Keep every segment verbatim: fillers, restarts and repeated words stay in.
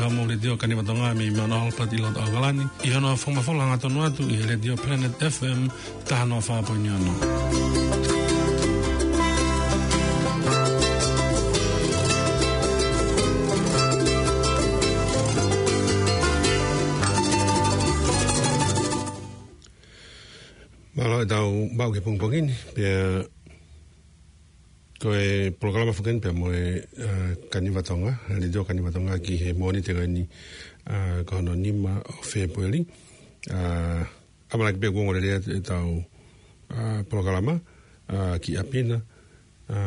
Mo Letiō Kanivatonga mei Mount Albert ʻi loto ʻAokalani, ʻi hono fakamafola hangatonu atu ʻi he Letiō Planet F M taha noa fā poini ono. Mālō e tau maʻu ki he pongipongi ni, pea ko e polokalama foki eni pea mo e, ā, Kanivatonga, Letiō Kanivatonga ki he Mōnite ko eni, ā, ko hono nima ʻo Fēpueli. Ā, ʻamanaki pē kuo ongo lelei atu e tau, ā, polokalama, ā, ki ʻapi na. Ā,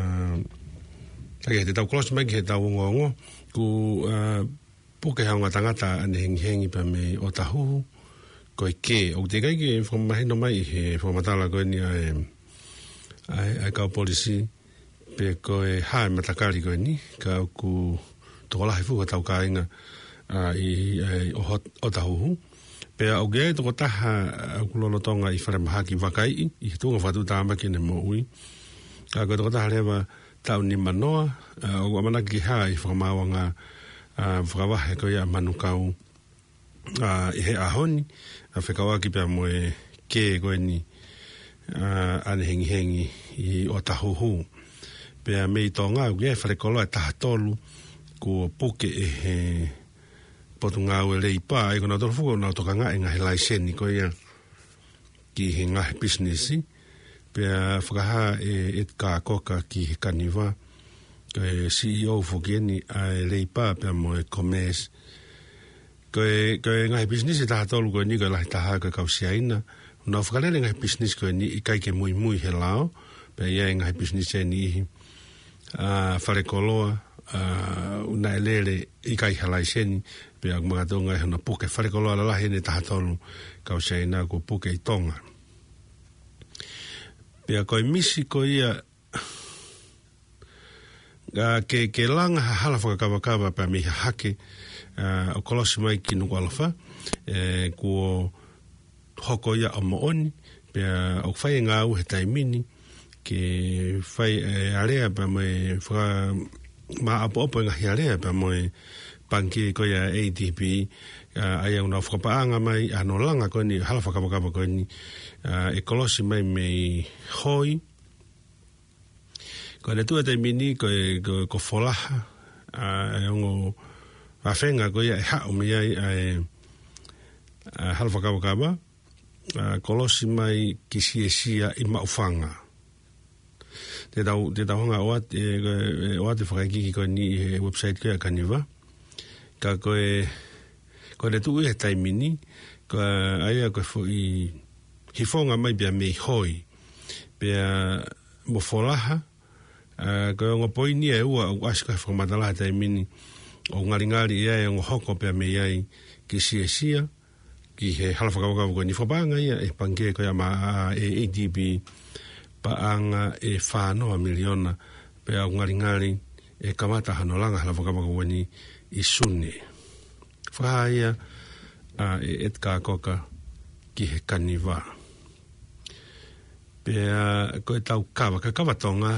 ʻa ia te tau kolosi mai ki he tau ongoongo, kuo, ā, puke ha ongo tangata ʻanehengihengi pea mei ʻOtahuhu, ko e kē. ʻOku teʻeki ai ke fakamahino mai ʻi he fakamatala ko eni ʻa e, ʻa e, ʻa e kau polisi, pe ko e hā e matakali ko eni, ka ʻoku tokolahi fuʻu ʻetau kāinga, ā, ʻi, ʻa e, ʻo hot-, ʻOtahuhu. Pea ʻoku ʻi ai e tokotaha, ā, ʻoku lolotonga ʻi falemahaki vakaiʻi, ʻi he tuʻunga fakatuʻutāmaki ʻene moʻui. Ka ko e tokotaha leva taʻu nima noa, ā, ʻoku ʻamanaki ke hā ʻi he fakamaauʻanga, ā, fakavahe ko ia ʻa Manukau, ā, ʻi he ʻaho ni, ā, fekauʻaki pea mo e kē ko eni, ā, ʻanehengihengi ʻi ʻOtahuhu. Pea mei Tonga, ʻoku ʻi ai e falekoloa ʻe taha tolu, kuo puke ʻe he Potungāue Leipa, ʻa ia ko nautolu foki ʻoku nau tokangaʻi e ngaahi laiseni ko ia ki he ngaahi pisinisi, pea fakahā ʻe Edgar Cocker ki he Kaniva, ko e C E O foki eni ʻa e Leipa pea mo e Commerce. Ko e, ko e ngaahi pisinisi ʻe taha tolu ko eni ko e lahi taha ko e kau Siaina, ʻoku nau fakalele e ngaahi pisinisi ko eni ʻikai ke muimui he lao, pea ʻi ai e ngaahi pisinisi ʻe niʻihi, ā, falekoloa, ā, ʻoku nau lele ʻikai ha laiseni, pea ʻoku makatuʻunga ʻi hono puke falekoloa lalahi eni ʻe taha tolu kau Siaina kuo puke ʻi Tonga. Pea ko e misi ko ia, ā, ke, ke langa ha hala fakakavakava pea mei Hahake, ā, ʻo kolosi mai ki Nukuʻalofa, ē, kuo hoko ia ʻo moʻoni, pea ʻoku fai e ngāue he taimi ni, ke fai e alea pea mo e faka-, maʻopoʻopo e ngaahi alea pea mo e pangikē ko ia A D B, ā, ʻa ia ʻoku nau fakapaʻanga mai, ā, hono langa ko eni, hala fakakavakava ko eni, ā, ʻe kolosi mai mei Hoi, ko ʻene tuʻu he taimi ni ko e, ko, ko Folaha, ā, e ongo fefine ko ia ʻe haʻu mei ai, ā, e, ā, hala fakakavakava, ā, kolosi mai ki Siesia ʻi Maʻufanga. Te tau, te tau hanga ʻo ʻoatu, e, e, ʻoatu e fakaikiiki ko eni ʻi he website ko ia ʻa Kaniva. Ka ko e, ko ʻene tuʻu he taimi ni, ko e, ʻa ia ko e foʻi hifonga mai pea mei Hoi. Pea mo Folaha, ā, ko e ongo poini ʻe ua ʻoku ʻasi ko ē he fakamatala he taimi ni, ʻoku ngalingali ia e ongo hoko pea mei ai ki Siesia, ki he hala fakakavakava ko eni. Fakapaʻanga ia ʻe he pangikē ko ia maʻa, ā, ʻe A D B, paʻanga ʻe fā noa miliona, pea ʻoku ngalingali ʻe kamata hono langa hala fakakavakava ko eni ʻi Sune. Fakahā ia, ā, ʻe Edgar Cocker ki he Kaniva. Pea ko e tau kava, ka kava Tonga,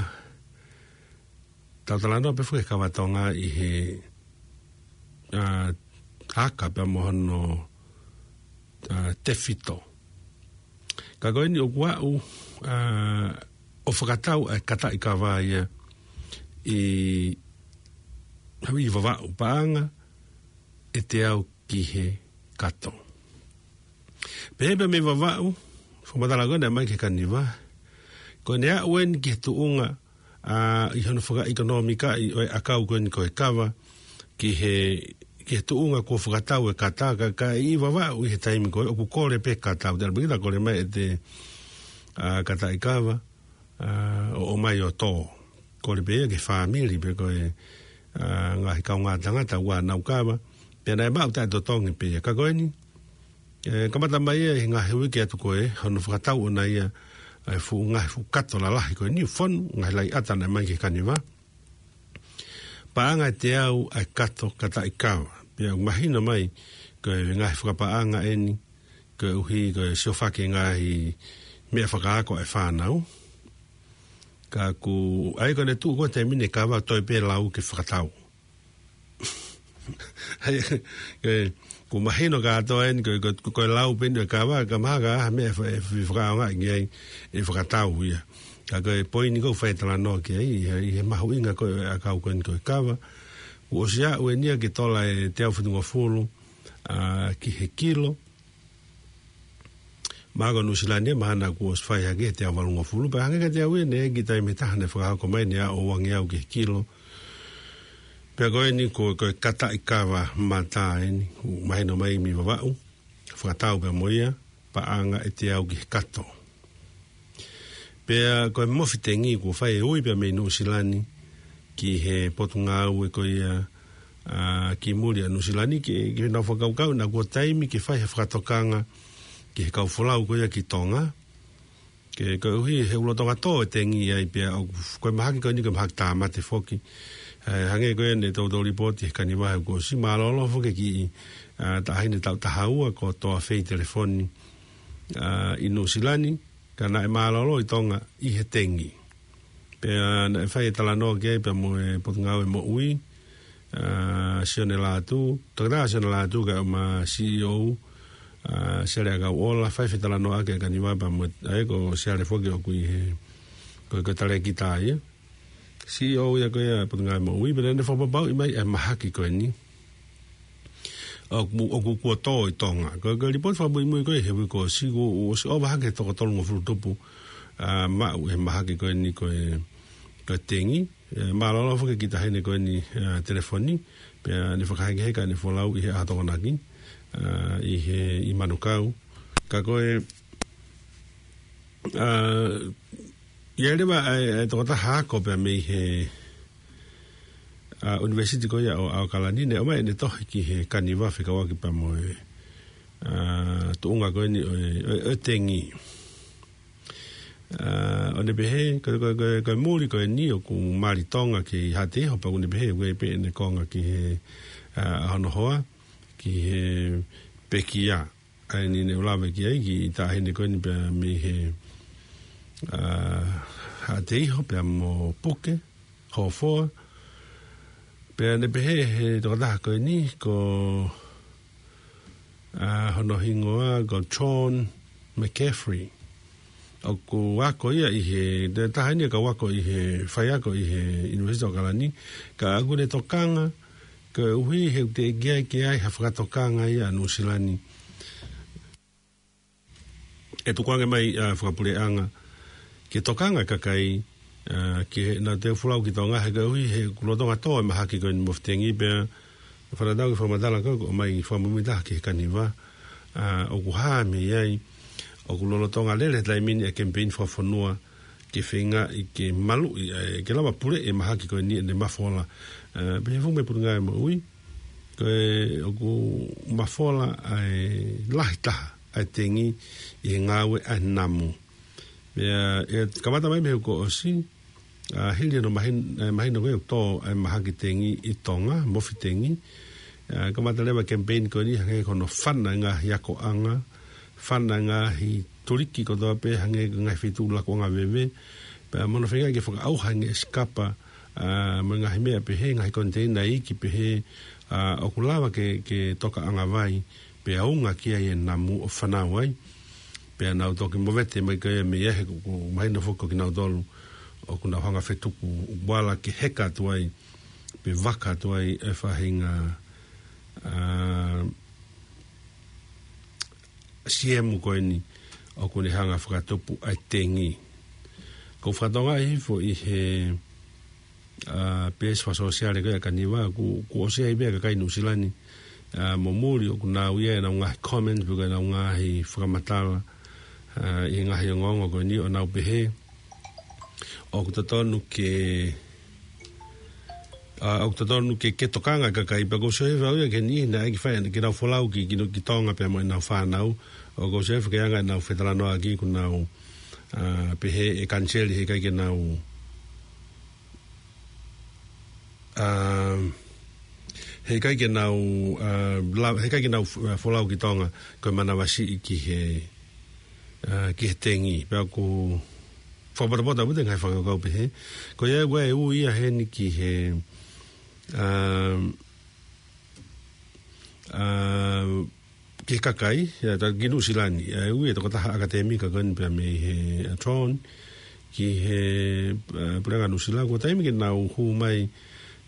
tau talanoa pē foki he kava Tonga ʻi he, ā, aka pea mo hono, ā, tefito. Ka ko eni ʻoku aʻu, ā, ʻo fakatau ʻa e kataʻi kava ia ʻi, ʻi Vavaʻu, paʻanga ʻe teau ki he kato. Pehē pē mei Vavaʻu, fakamatala ko ē naʻe ʻomai ki he Kaniva, ko ʻene aʻu eni ki he tuʻunga, ā, ʻi hono fakaʻekonōmikaʻi ʻo e ʻakau ko eni ko e kava, ki he, ki he tuʻunga kuo fakatau e kata, ka, ka ʻi Vavaʻu ʻi he taimi ko ē ʻoku kole pē kata, ʻoku tala pē kita kole mai ʻete, ā, kataʻi kava, ā, ʻo, ʻomai ʻo tō. Kole pē ia ki he fāmili pe ko e, ā, ngaahi kaungā tangata ʻoku nau kava. Pea naʻe maʻu taʻetotongi pē ia. Ka ko eni, ē, kamata mai ia ʻi he ngaahi uike atu ko ē, hono fakatau ʻona ia, ʻa e fuʻu ngaahi fuʻu kato lalahi ko eni, fonu, ngaahi laʻiʻata naʻe ʻomai ki he Kaniva. Paʻanga ʻe teau ʻa e kato kataʻi kava. Pea ʻoku mahino mai, ko e ngaahi fakapaʻanga eni, koeʻuhi ko e siofaki e ngaahi meʻa fakaako ʻa e fānau. Ka ʻoku, ʻa ia ko ʻene tuʻu ko ē he taimi ni e kava toe pē lau ke fakatau. Hei, ē, ʻoku mahino kātoa eni, ko, ko, ko, ko e lau pē eni ʻo e kava, ka mahalo ko ha meʻa ʻe fa-, ʻe fakaʻaongaʻi ki ai, ʻe fakatau ia. Ka ko e poini ʻoku ou fai e talanoa ki ai, ʻi he, ʻi he mahuʻinga ko ē ʻo e ʻakau ko eni ko e kava. Kuo ʻosi aʻu eni ia ki he tola ʻe teau fitungofulu, ā, ki he kilo. Mahalo ko Nuʻusila ni, mahalo kuo ʻosi fai hake he teau valungofulu, pea hangē kiate au ia, naʻe ʻi ai e kiʻi taimi ʻe taha naʻe fakahoko mai naʻe aʻu ʻo uangeau ki he kilo. Pea ko eni ko, ko e kataʻi kava mata eni, ʻoku mahino mai mei Vavaʻu, fakatau pea mo ia, paʻanga ʻe teau ki he kato. Pea ko e mofi tengi kuo fai e ui pea mei Nuʻusila ni ki he potungāue ko ia, ā, ki muli ʻa Nuʻusila ni, ke, ke nau fakakaukau naʻa kuo taimi ke fai ha fakatokanga ki he kau folau ko ia ki Tonga. Ke, koeʻuhi he ʻoku lolotonga tō e tengi ai pea ʻoku, ko e mahaki ko eni ko e mahaki tāmate foki. Ē, hangē ko eni ʻetau, ʻetau lipooti he Kaniva he kuo ʻosi, mālōlō foki e kiʻi, ā, taʻahine taʻu taha ua ko Toafei Telefoni, ā, ʻi Nuʻusila ni, ka naʻe mālōlō ʻi Tonga ʻi he tengi. Pea naʻe fai e talanoa ki ai pea mo e Potungāue Moʻui, ā, Sione Lātū, Toketā Sione Lātū kae ʻumaʻā C E O, ā, Siale ʻAkauʻola, fai fetalanoaʻaki e Kaniva pea mo, ʻa ia ko Siale foki ʻoku ʻi he, ko, ko e talēkita ia. C E O ia ko ia Potungāue Moʻui, pea naʻa ne fakapapauʻi mai e mahaki ko eni ʻoku, ʻoku kuo tō ʻi Tonga. Ko, ko e lipooti fakamuimui ko ē he uike kuo ʻosi, kuo ʻosi ʻova hake he toko tolungofulu tupu, ā, maʻu e mahaki ko eni ko e, ko e tengi. Ē, mālōlō foki e kiʻi taʻahine ko eni, ā, Telefoni, pea ne fakahekeheka ʻene folau ʻi he ʻaho Tokonaki, ā, ʻi he, ʻi Manukau. Ka ko e, ā, ʻi ai leva ʻa e, ʻa e tokotaha ako pea mei he, ā, ʻunivēsiti ko ia ʻo ʻAokalani, naʻe ʻomai ʻene tohi ki he Kaniva fekauʻaki pea mo e, ā, tuʻunga ko eni ʻo e, ʻo e, ʻo e tengi. Ā, ʻo ne pehē, ko, ko, ko, ko e muli ko eni ʻoku mali Tonga ki Haʻateiho, pea ʻoku ne pehē, ʻoku ʻi ai pē ʻene konga ki he, ā, ʻa hono hoa, ki he pekia. ʻA eni naʻe lave ki ai, kiʻi taʻahine ko eni pea mei he, ā, Haʻateiho, pea mo Puke, Hofoa. Pea ne pehē he tokotaha ko eni, ko, ā, hono hingoa, ko John McCaffrey. ʻOku ako ia ʻi he, te taha eni ka ako ʻi he, faiako ʻi he University of ʻAokalani, ka ʻoku ne tokanga, koeʻuhi he ʻoku teʻeki ai ke ʻi ai ha fakatokanga ia ʻa Nuʻusila ni. ʻE tukuange mai, ā, fakapuleʻanga, ke tokanga e kakai, ā, ke nau toe folau ki Tonga he koeʻuhi he ʻoku lolotonga tō e mahaki ko eni mofi tengi pea, fakatatau ki he fakamatala ko ē kuo ʻomai fakamuimui taha ki he Kaniva, ā, ʻoku hā mei ai, ʻoku lolotonga lele he taimi ni e kemipeini fakafonua, ke feingaʻi ke maluʻi, ē, ke lava puleʻi e mahaki ko eni ʻene mafola. Ē, pehē foki mei he Potungāue Moʻui, ko e ʻoku mafola ʻa e lahi taha ʻa e tengi ʻi he ngāue ʻa e namu. Pea, ē, kamata mai mei he kuo ʻosi, ā, hili hono mahin-, ē, mahino ko ē ʻoku tō ʻa e mahaki tengi ʻi Tonga, mofi tengi. Ā, kamata leva e kemipeini ko eni hangē ko hono fana e ngaahi akoʻanga, fana e ngaahi tuliki kotoa pē hangē ko e ngaahi feituʻu lakuʻanga veve. Pea mo hono feingaʻi ke fakaʻauha e ngaahi sikapa, ā, mo e ngaahi meʻa pehē, ngaahi koniteina iiki pehē, ā, ʻoku lava ke, ke tokaʻanga vai, pea unga ki ai e namu ʻo fānau ai. Pea nau toki movete mai ko ia mei ai he ʻoku, ʻoku mahino foki ko kinautolu ʻoku nau hanga ʻo fetuku uala ke heka atu ai, pe vaka atu ai e faʻahinga, ā, siemu ko eni ʻoku ne hanga ʻo fakatupu ʻa e tengi. ʻOku ou fakatokangaʻi hifo ʻi he, ā, peesi fakasōsiale ko ē ʻa e Kaniva, kuo, kuo ʻosi ʻi ai pē ʻa e kakai Nuʻusila ni, ā, mo muli ʻoku nau ʻi ai ʻenau ngaahi comment, pe ko ʻenau ngaahi fakamatala, ā, ʻi he ngaahi ongoongo ko eni ʻo nau pehē ʻoku totonu ke, ā, ʻoku totonu ke, ke tokanga e kakai, pea ʻoku ou sio hifo au ia ki he niʻihi naʻe ʻai ke fai, ke nau folau ki, ki, ki Tonga pea mo ʻenau fānau. ʻOku ou sio hifo ki he anga ʻenau fetalanoaʻaki kuo nau, ā, pehē ʻe kaniseli heʻikai ke nau, ā, heʻikai ke nau, ā, la-, heʻikai ke nau f-, ā, folau ki Tonga, ko e manavasiʻi ki he, ā, ki he tengi. Pea ʻoku fakapotopoto ʻaupito e ngaahi fakakaukau pehē. Ko ia ʻoku ʻi ai e ui ia heni ki he, ā, ʻa, ki he kakai, ʻa, ta-, ki Nuʻusila ni, ʻa, ui e tokotaha ʻakatēmika ko eni pea mei he, ʻa, John, ki he, ʻa, Puleʻanga Nuʻusila, ko e taimi ke nau hū mai,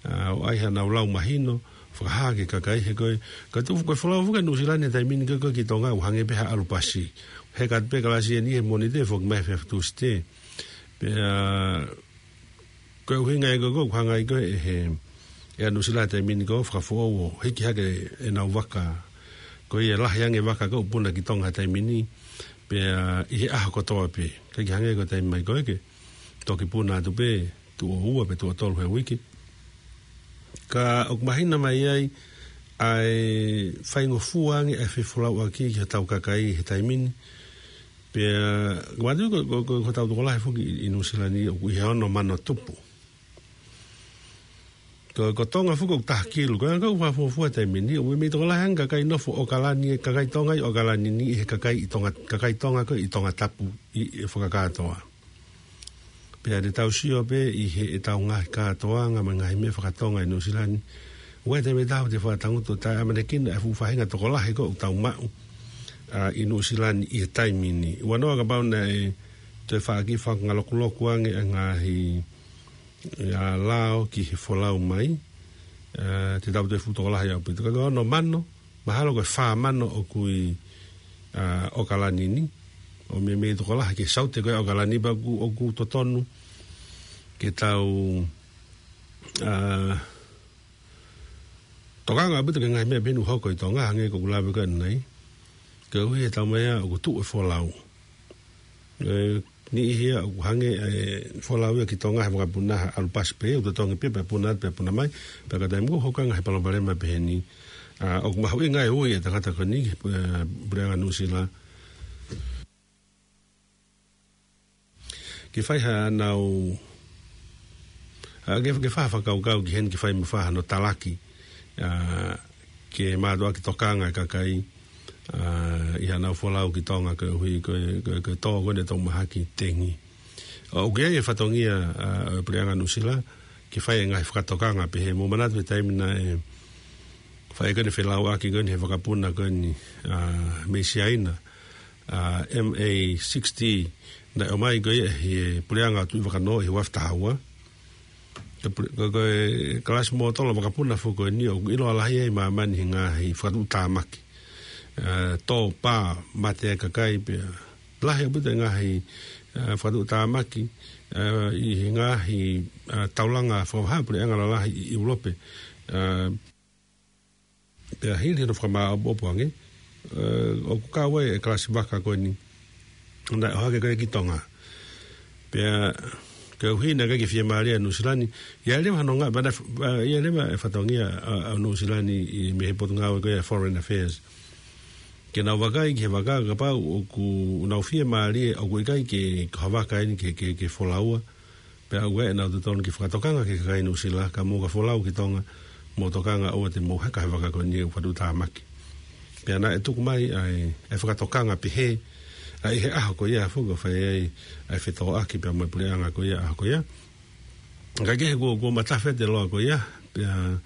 ʻa, ʻo ʻai haʻanau lau mahino, fakahā ki he kakai he ko e, ka tu, ko e folau foki ʻa Nuʻusila ni he taimi ni ko e, ko e ki Tonga, ʻoku hangē pē ha ʻalu pasi. He ka pē kalasi eni he Mōnite, foki mai he Tūsite. Pea, ko e ʻuhinga ia ko e, ko e hanga ai ko e he, ʻe ʻa Nuʻusila he taimi ni ko e fakafoʻou ʻo hiki hake ʻenau vaka. Ko ia lahi ange vaka ko e puna ki Tonga he taimi ni, pea ʻi he ʻaho kotoa pē. ʻIkai ke hangē ko e taimi mai ko ē ke toki puna atu pē, tuʻo ua pe tuʻo tolu he uike. Ka ʻoku mahino mai ai, ʻa e faingofua ange ʻa e fefolauʻaki ki hotau kakai he taimi ni. Pea, ka matu ko, ko, ko, ko hotau tokolahi foki ʻi, ʻi Nuʻusila ni, ʻoku ʻi he ono mano tupu. Ko, ko Tonga foki ʻoku taha kilu, ko e anga ʻoku fakafuofua he taimi ni, ʻoku ʻi ai mei tokolahi ange kakai nofo ʻOkalani, kakai Tonga ʻi ʻOkalani ni, ʻi he kakai ʻi Tonga, kakai Tonga ko ē ʻi Tongatapu, ʻi, ʻi fakakātoa. Pea te tau sio pē ʻi he ʻetau ngaahi kātoanga mo e ngaahi meʻa fakatonga ʻi Nuʻusila ni. ʻOku ʻi ai e taimi ʻe taha te fakatangutu ʻo taʻeʻamanekina e fuʻu faʻahinga tokolahi ko ē ʻoku tau maʻu, ʻa, ʻi Nuʻusila ni ʻi he taimi ni. ʻUanoa kapau naʻe toe faʻa kiʻi fakangalokuloku ange ʻa e ngaahi, ʻa, lao ki he folau mai, ʻa, te tau toe fuʻu tokolahi ʻaupito. Ka ko e ono mano, mahalo ko e fā mano ʻoku ʻi, ʻa, ʻOkalani ni, ʻo meimei tokolahi ki he saute ko ē ʻa ʻOkalani pea ʻoku, ʻoku totonu ke tau, ʻa, tokanga ʻaupito ki he ngaahi meʻa pehē ni ʻoku hoko ʻi Tonga, hangē ko ʻeku lave ko ē ʻanenai. Koeʻuhi he taimi ʻe ʻoku tuʻu e folau. ʻE, niʻihi ia ʻoku hangē e folau ia ki Tonga he vakapuna ha ʻalu pasi pē, ʻoku totongi pē, pea puna atu, pea puna mai, pea ka taimi ko ē ʻoku hoko ai e ngaahi palopalema pehē ni. ʻA, ʻoku mahuʻinga e ui e tangata ko eni, ʻe, Puleʻanga Nuʻusila. Ke fai haʻanau, ʻa, ke, ke fai ha fakakaukau ki heni ke fai mo fai hano talaki, ʻa, ke mātuʻaki tokanga e kakai, ʻa, ʻi haʻanau folau ki Tonga koeʻuhi, ko e, ko e, ko e tō ko eni e tau mahaki tengi. ʻOku ʻi ai e fatongia, ʻa, ʻo e Puleʻanga Nuʻusila, ke fai e ngaahi fakatokanga pehē mo manatu he taimi naʻe fai ko eni e felauʻaki ko eni he vakapuna ko eni, ʻa, mei Siaina, ʻa, M A sixty, naʻe ʻomai ko ia ʻe he Puleʻanga ʻo Tuʻivakanō ʻi he ua afe taha ua. Ko e pule-, ko, ko e kalasi mōtolo vakapuna foki ko eni ʻoku ʻiloa lahi ai ʻi māmani he ngaahi fakatuʻutāmaki. ʻA, tō, pā, mate e kakai pea lahi ʻaupito e ngaahi, ʻa, fakatuʻutāmaki, ʻa, ʻi he ngaahi, ʻa, taulanga fakavahaʻapuleʻanga lalahi ʻi ʻIulope. ʻA, pea hili hono fakamāʻopoʻopo ange, ʻa, ʻoku kau ai e kalasi vaka ko eni naʻe ʻohake ko ē ki Tonga. Pea koeʻuhi naʻe ʻikai ke fiemālie ʻa Nuʻusila ni, ʻi ai leva hano ngaahi, ʻa, ʻi ai leva e fatongia ʻa, ʻa Nuʻusila ni ʻi, mei he Potungāue ko ia Foreign Affairs. Ke nau vakai ki he vaka kapau ʻoku nau fiemālie ʻoku ʻikai ke, ko ha vaka eni ke, ke, ke folaua. Pea ʻoku ʻi ai ʻenau totonu ke fakatokanga ki he kakai Nuʻusila, ka mou ka folau ki Tonga, mou tokanga ʻoua te mou heka he vaka ko eni ʻoku fakatuʻutāmaki. Pea naʻe tuku mai ʻa e, ʻa e fakatokanga pehē, ʻa, ʻi he ʻaho ko ia foki ʻoku fai ai ʻa e fetōʻaki pea mo e Puleʻanga ko ia ʻaho ko ia. Ka kehe kuo, kuo matafi atu e loa ko ia, pea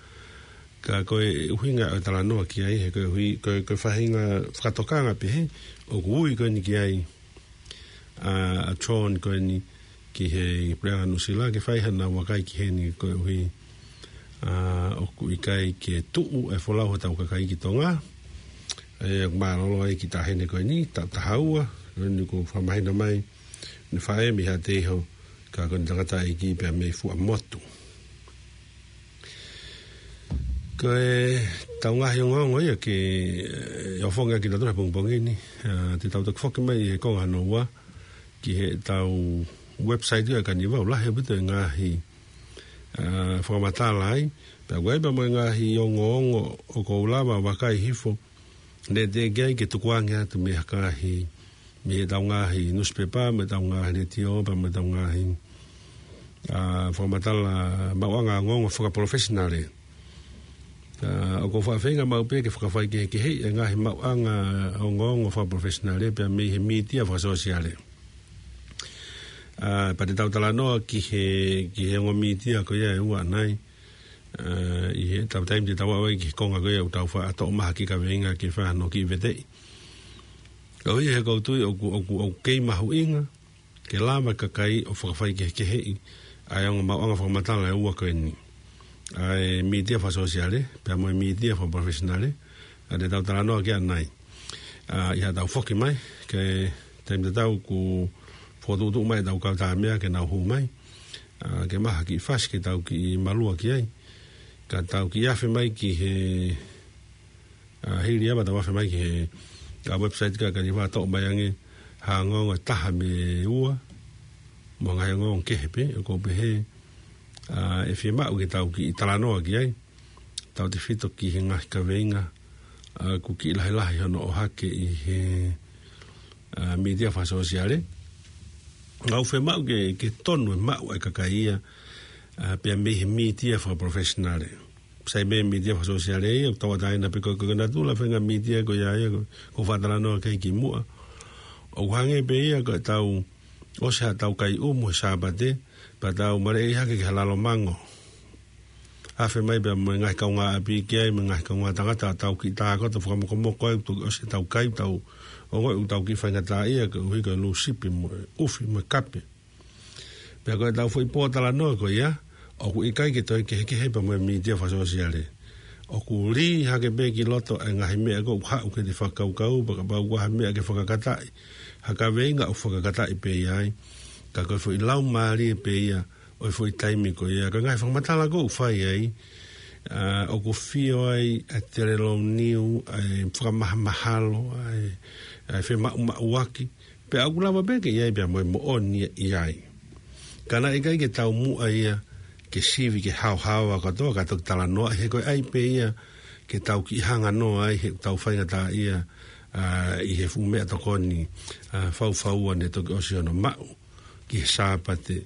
ka ko e ʻuhinga ʻo e talanoa ki ai, he ko e ʻuhi, ko e, ko e faʻahinga fakatokanga pehē, ʻoku ui ko eni ki ai, ʻa, ʻa John ko eni ki he Puleʻanga Nuʻusila, ke fai haʻanau vakai ki heni koeʻuhi, ʻa, ʻoku ʻikai ke tuʻu e folau hotau kakai ki Tonga, ʻe, mālōlō ai ki taʻahine ko eni, taʻu taha ua, ko eni kuo fakamahino mai, naʻe faʻē mei Haʻateiho, ka ko eni tangataʻeiki pea mei Fuaʻamotu. Ko e tau ngaahi ongoongo ia ke, ʻe, ʻofongi ʻaki kitautolu he pongipongi ni, ʻa, te tau toki foki mai he konga hono ua, ki heʻetau website ia ʻa e Kaniva, ʻoku lahi ʻaupito e ngaahi, ʻa, fakamatala ai, pea ʻoku ʻi ai pea mo e ngaahi ongoongo ʻoku ou lava ʻo vakai hifo, naʻe teʻeki ai ke tukuange atu mei ha ngaahi, mei heʻetau ngaahi newspaper, mei heʻetau ngaahi letiō, pea mei heʻetau ngaahi, ʻa, fakamatala maʻuʻanga ongoongo fakapalofesinale. ʻA, ʻoku ou faʻa feinga maʻu pē ke fakafaikehekeheʻi e ngaahi maʻuʻanga ongoongo fakapalofesinale, pea mei he mītia fakasōsiale. ʻA, pea te tau talanoa ki he, ki he ongo mītia ko ia ʻe ua ʻanenai. ʻa, ʻi heʻetau taimi te tau ʻave ki he konga ko ia ʻoku tau faʻa toʻo mahaki kaveinga ke fai hano kiʻi veteʻi. Ka ʻoku ʻi he ʻoku ou tui ʻoku, ʻoku, ʻoku kei mahuʻinga ke lava e kakai ʻo fakafaikehekeheʻi ʻa e ongo maʻuʻanga fakamatala ʻe ua ko eni. ʻA e mītia fakasōsiale, pea mo e mītia fakaprofesinale, ʻa ia te tau talanoa ki ai ʻanenai. ʻA, ʻi haʻatau foki mai, ki he taimi tatau kuo fokotuʻutuʻu mai ʻetau kau tāmeʻa ke nau hū mai. ʻA, ke maʻu ha kiʻi fasi ke tau kiʻi malua ki ai. Ka tau kiʻi afe mai ki he, ʻa, hili ia ʻetau afe mai ki he, ʻa, website ka, ka ni faʻa toʻo mai ange ha ongoongo ʻe taha mo e ua, mo e ngaahi ongoongo kehe pē, ʻoku ou pehē, ʻa, ʻe fiemaʻu ke tau kiʻi talanoa ki ai. Tautefito ki he ngaahi kaveinga, ʻa, ʻoku kiʻi lahilahi hono ʻohake ʻi he, ʻa, mītia fakasōsiale. Ka ʻoku fiemaʻu ke, ke tonu e maʻu ʻa e kakai ia, ʻa, pea mei he mītia fakaprofesinale. Sai mei he mītia fakasōsiale ia, ʻoku tauʻatāina pē ko, ko, ko e natula e faʻahinga mītia ko ia ia, ʻoku, ʻoku ou faʻa talanoa ki ai kimuʻa. ʻOku hangē pē ia ko ʻetau ʻosi haʻatau kai ʻumu he Sāpate, pea tau maleʻi hake ki ha lalo mango. Afe mai pea mo e ngaahi kaungāʻapi ki ai, mo e ngaahi kaungā tangata, tau kiʻi tākoto fakamokomoko ai, toki ʻosi ʻetau kai, tau ongoʻi ʻoku tau kiʻi faingataʻaʻia, koeʻuhi ko e lūsipi mo e ʻufi mo e kape. Pea ko ʻetau foʻi pōtalanoa ko ia, ʻoku ʻikai ke toe kehekehe pea mo e mītia fakasōsiale. ʻOku lī hake pē ki loto e ngaahi meʻa ko ē ʻoku haʻu ke te fakakaukau, pea kapau ʻoku ʻi ai ha meʻa ke fakakataʻi, ha kaveinga ʻoku fakakataʻi pē ia ai. Ka ko e foʻi laumālie pē ia ʻo e foʻi taimi ko ia. Ka ngaahi fakamatala ko ē ʻoku fai ai, ʻa, ʻoku fio ai ʻa e telelou niu, ʻa e fakamahamahalo, ʻa e, ʻa e femaʻumaʻuaki. Pea ʻoku lava pē ke ʻi ai pea mo e moʻoni ʻi ai. Ka naʻe ʻikai ke taumuʻa ia ke sivi ke haohaoa kātoa ka toki talanoa, he ko e ʻai pē ia ke tau kiʻi hanga noa ai he ʻoku tau faingataʻaʻia, ʻa, ʻi he fuʻu meʻatokoni, ʻa, faufaua ne toki ʻosi hono maʻu ki he Sāpate.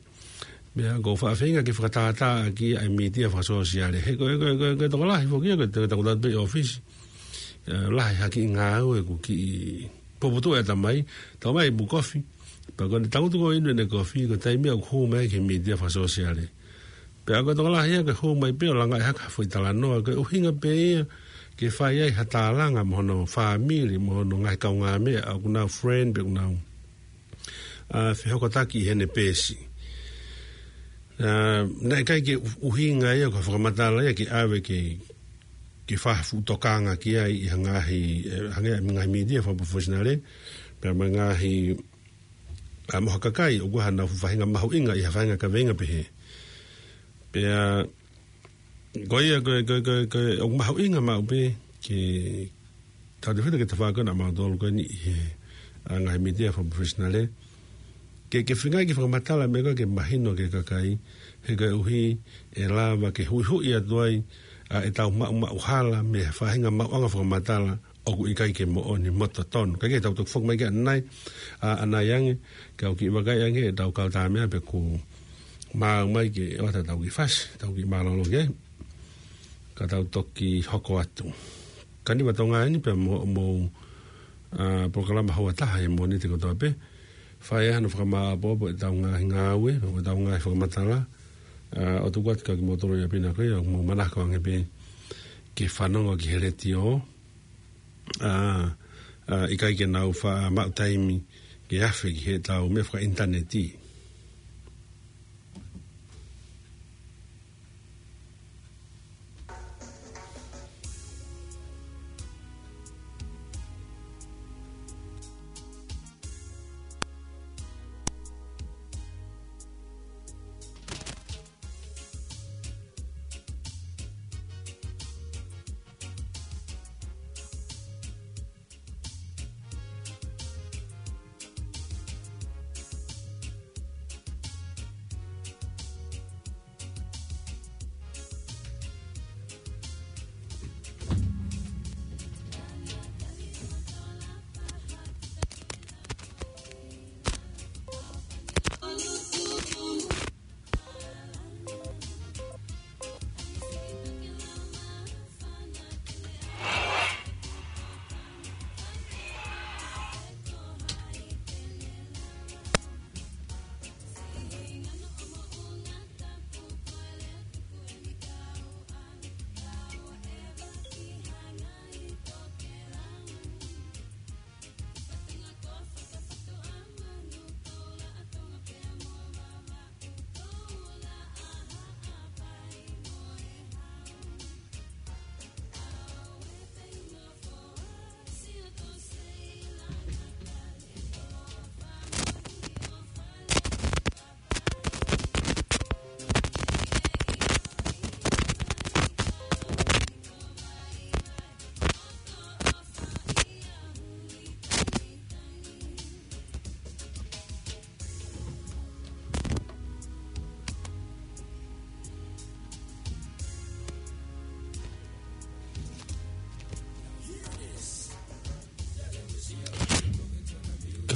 Meʻa ʻoku ou faʻa feinga ke fakatātā ʻaki ʻa e mītia fakasōsiale. He ko e, ko e, ko e, ko e tokolahi foki ia, ko e, ko e takutai pē ʻi ʻōfisi. ʻE, lahi ha kiʻi ngāue ʻoku kiʻi puputuʻu e ʻatamai, tau mai ʻi he kofi. Pea ko ʻene tangutu ko ē ʻo inu ʻene kofi, ko e taimi ia ʻoku hū mai ki he mītia fakasōsiale. Pea ko e tokolahi ia ke hū mai pē ʻo langaʻi hake ha foʻi talanoa, ko e ʻuhinga pē ia ke fai ai ha tālanga mo hono fāmili, mo hono ngaahi kaungāmeʻa, ʻoku nau friend, pe ʻoku nau, ʻa, fehokotaki ʻi heʻene peesi. ʻA, naʻe ʻikai ke ʻu-, ʻuhinga ia ko e fakamatala ia ke ʻave ke, ke fai ha fuʻu tokanga ki ai ʻi ha ngaahi, ʻe, hangē ha ngaahi mītia fakaprofesinale, pea mo e ngaahi, ʻa, mo ha kakai ʻoku ʻi ai haʻanau faʻahinga mahuʻinga ʻi ha faʻahinga kaveinga pehē. Pea, ko ia, ko e, ko e, ko e, ko e, ʻoku mahuʻinga maʻu pē ke tautefito ke tau fakakau ʻa mautolu ko eni ʻi he, ʻa, ngaahi mītia fakaprofesinale. Ke, ke feinga ke fakamatala meʻa ko ē ke mahino ki he kakai, he koeʻuhi ʻe lava ke huʻihuʻi atu ai, ʻa, ʻetau maʻumaʻu hala mei he faʻahinga maʻuʻanga fakamatala ʻoku ʻikai ke moʻoni mo totonu. Kae kehe, tau toki foki mai ki ʻanenai, ʻa, ʻanai ange, kau kiʻi vakai ange ʻetau kau tāmeʻa pe kuo maau mai ke ʻoatu ʻetau kiʻi fasi, tau kiʻi mālōlō ki ai. Ka tau toki hoko atu. Ka ʻi he ʻaho ni ʻoku tau ngāue ni pea mo, mo, ʻa, polokalama houa taha ʻi he Mōnite kotoa pē. Fai ai hano fakamāʻopoʻopo ʻetau ngaahi ngāue, mo ʻetau ngaahi fakamatala. ʻA, ʻo tuku atu kia kimoutolu ia pina ko ia, mou manako ange pē ke fanongo ki he letiō. ʻA, ʻa, ʻikai ke nau faʻa maʻu taimi ke afe ki heʻetau meʻa fakaʻinitaneti.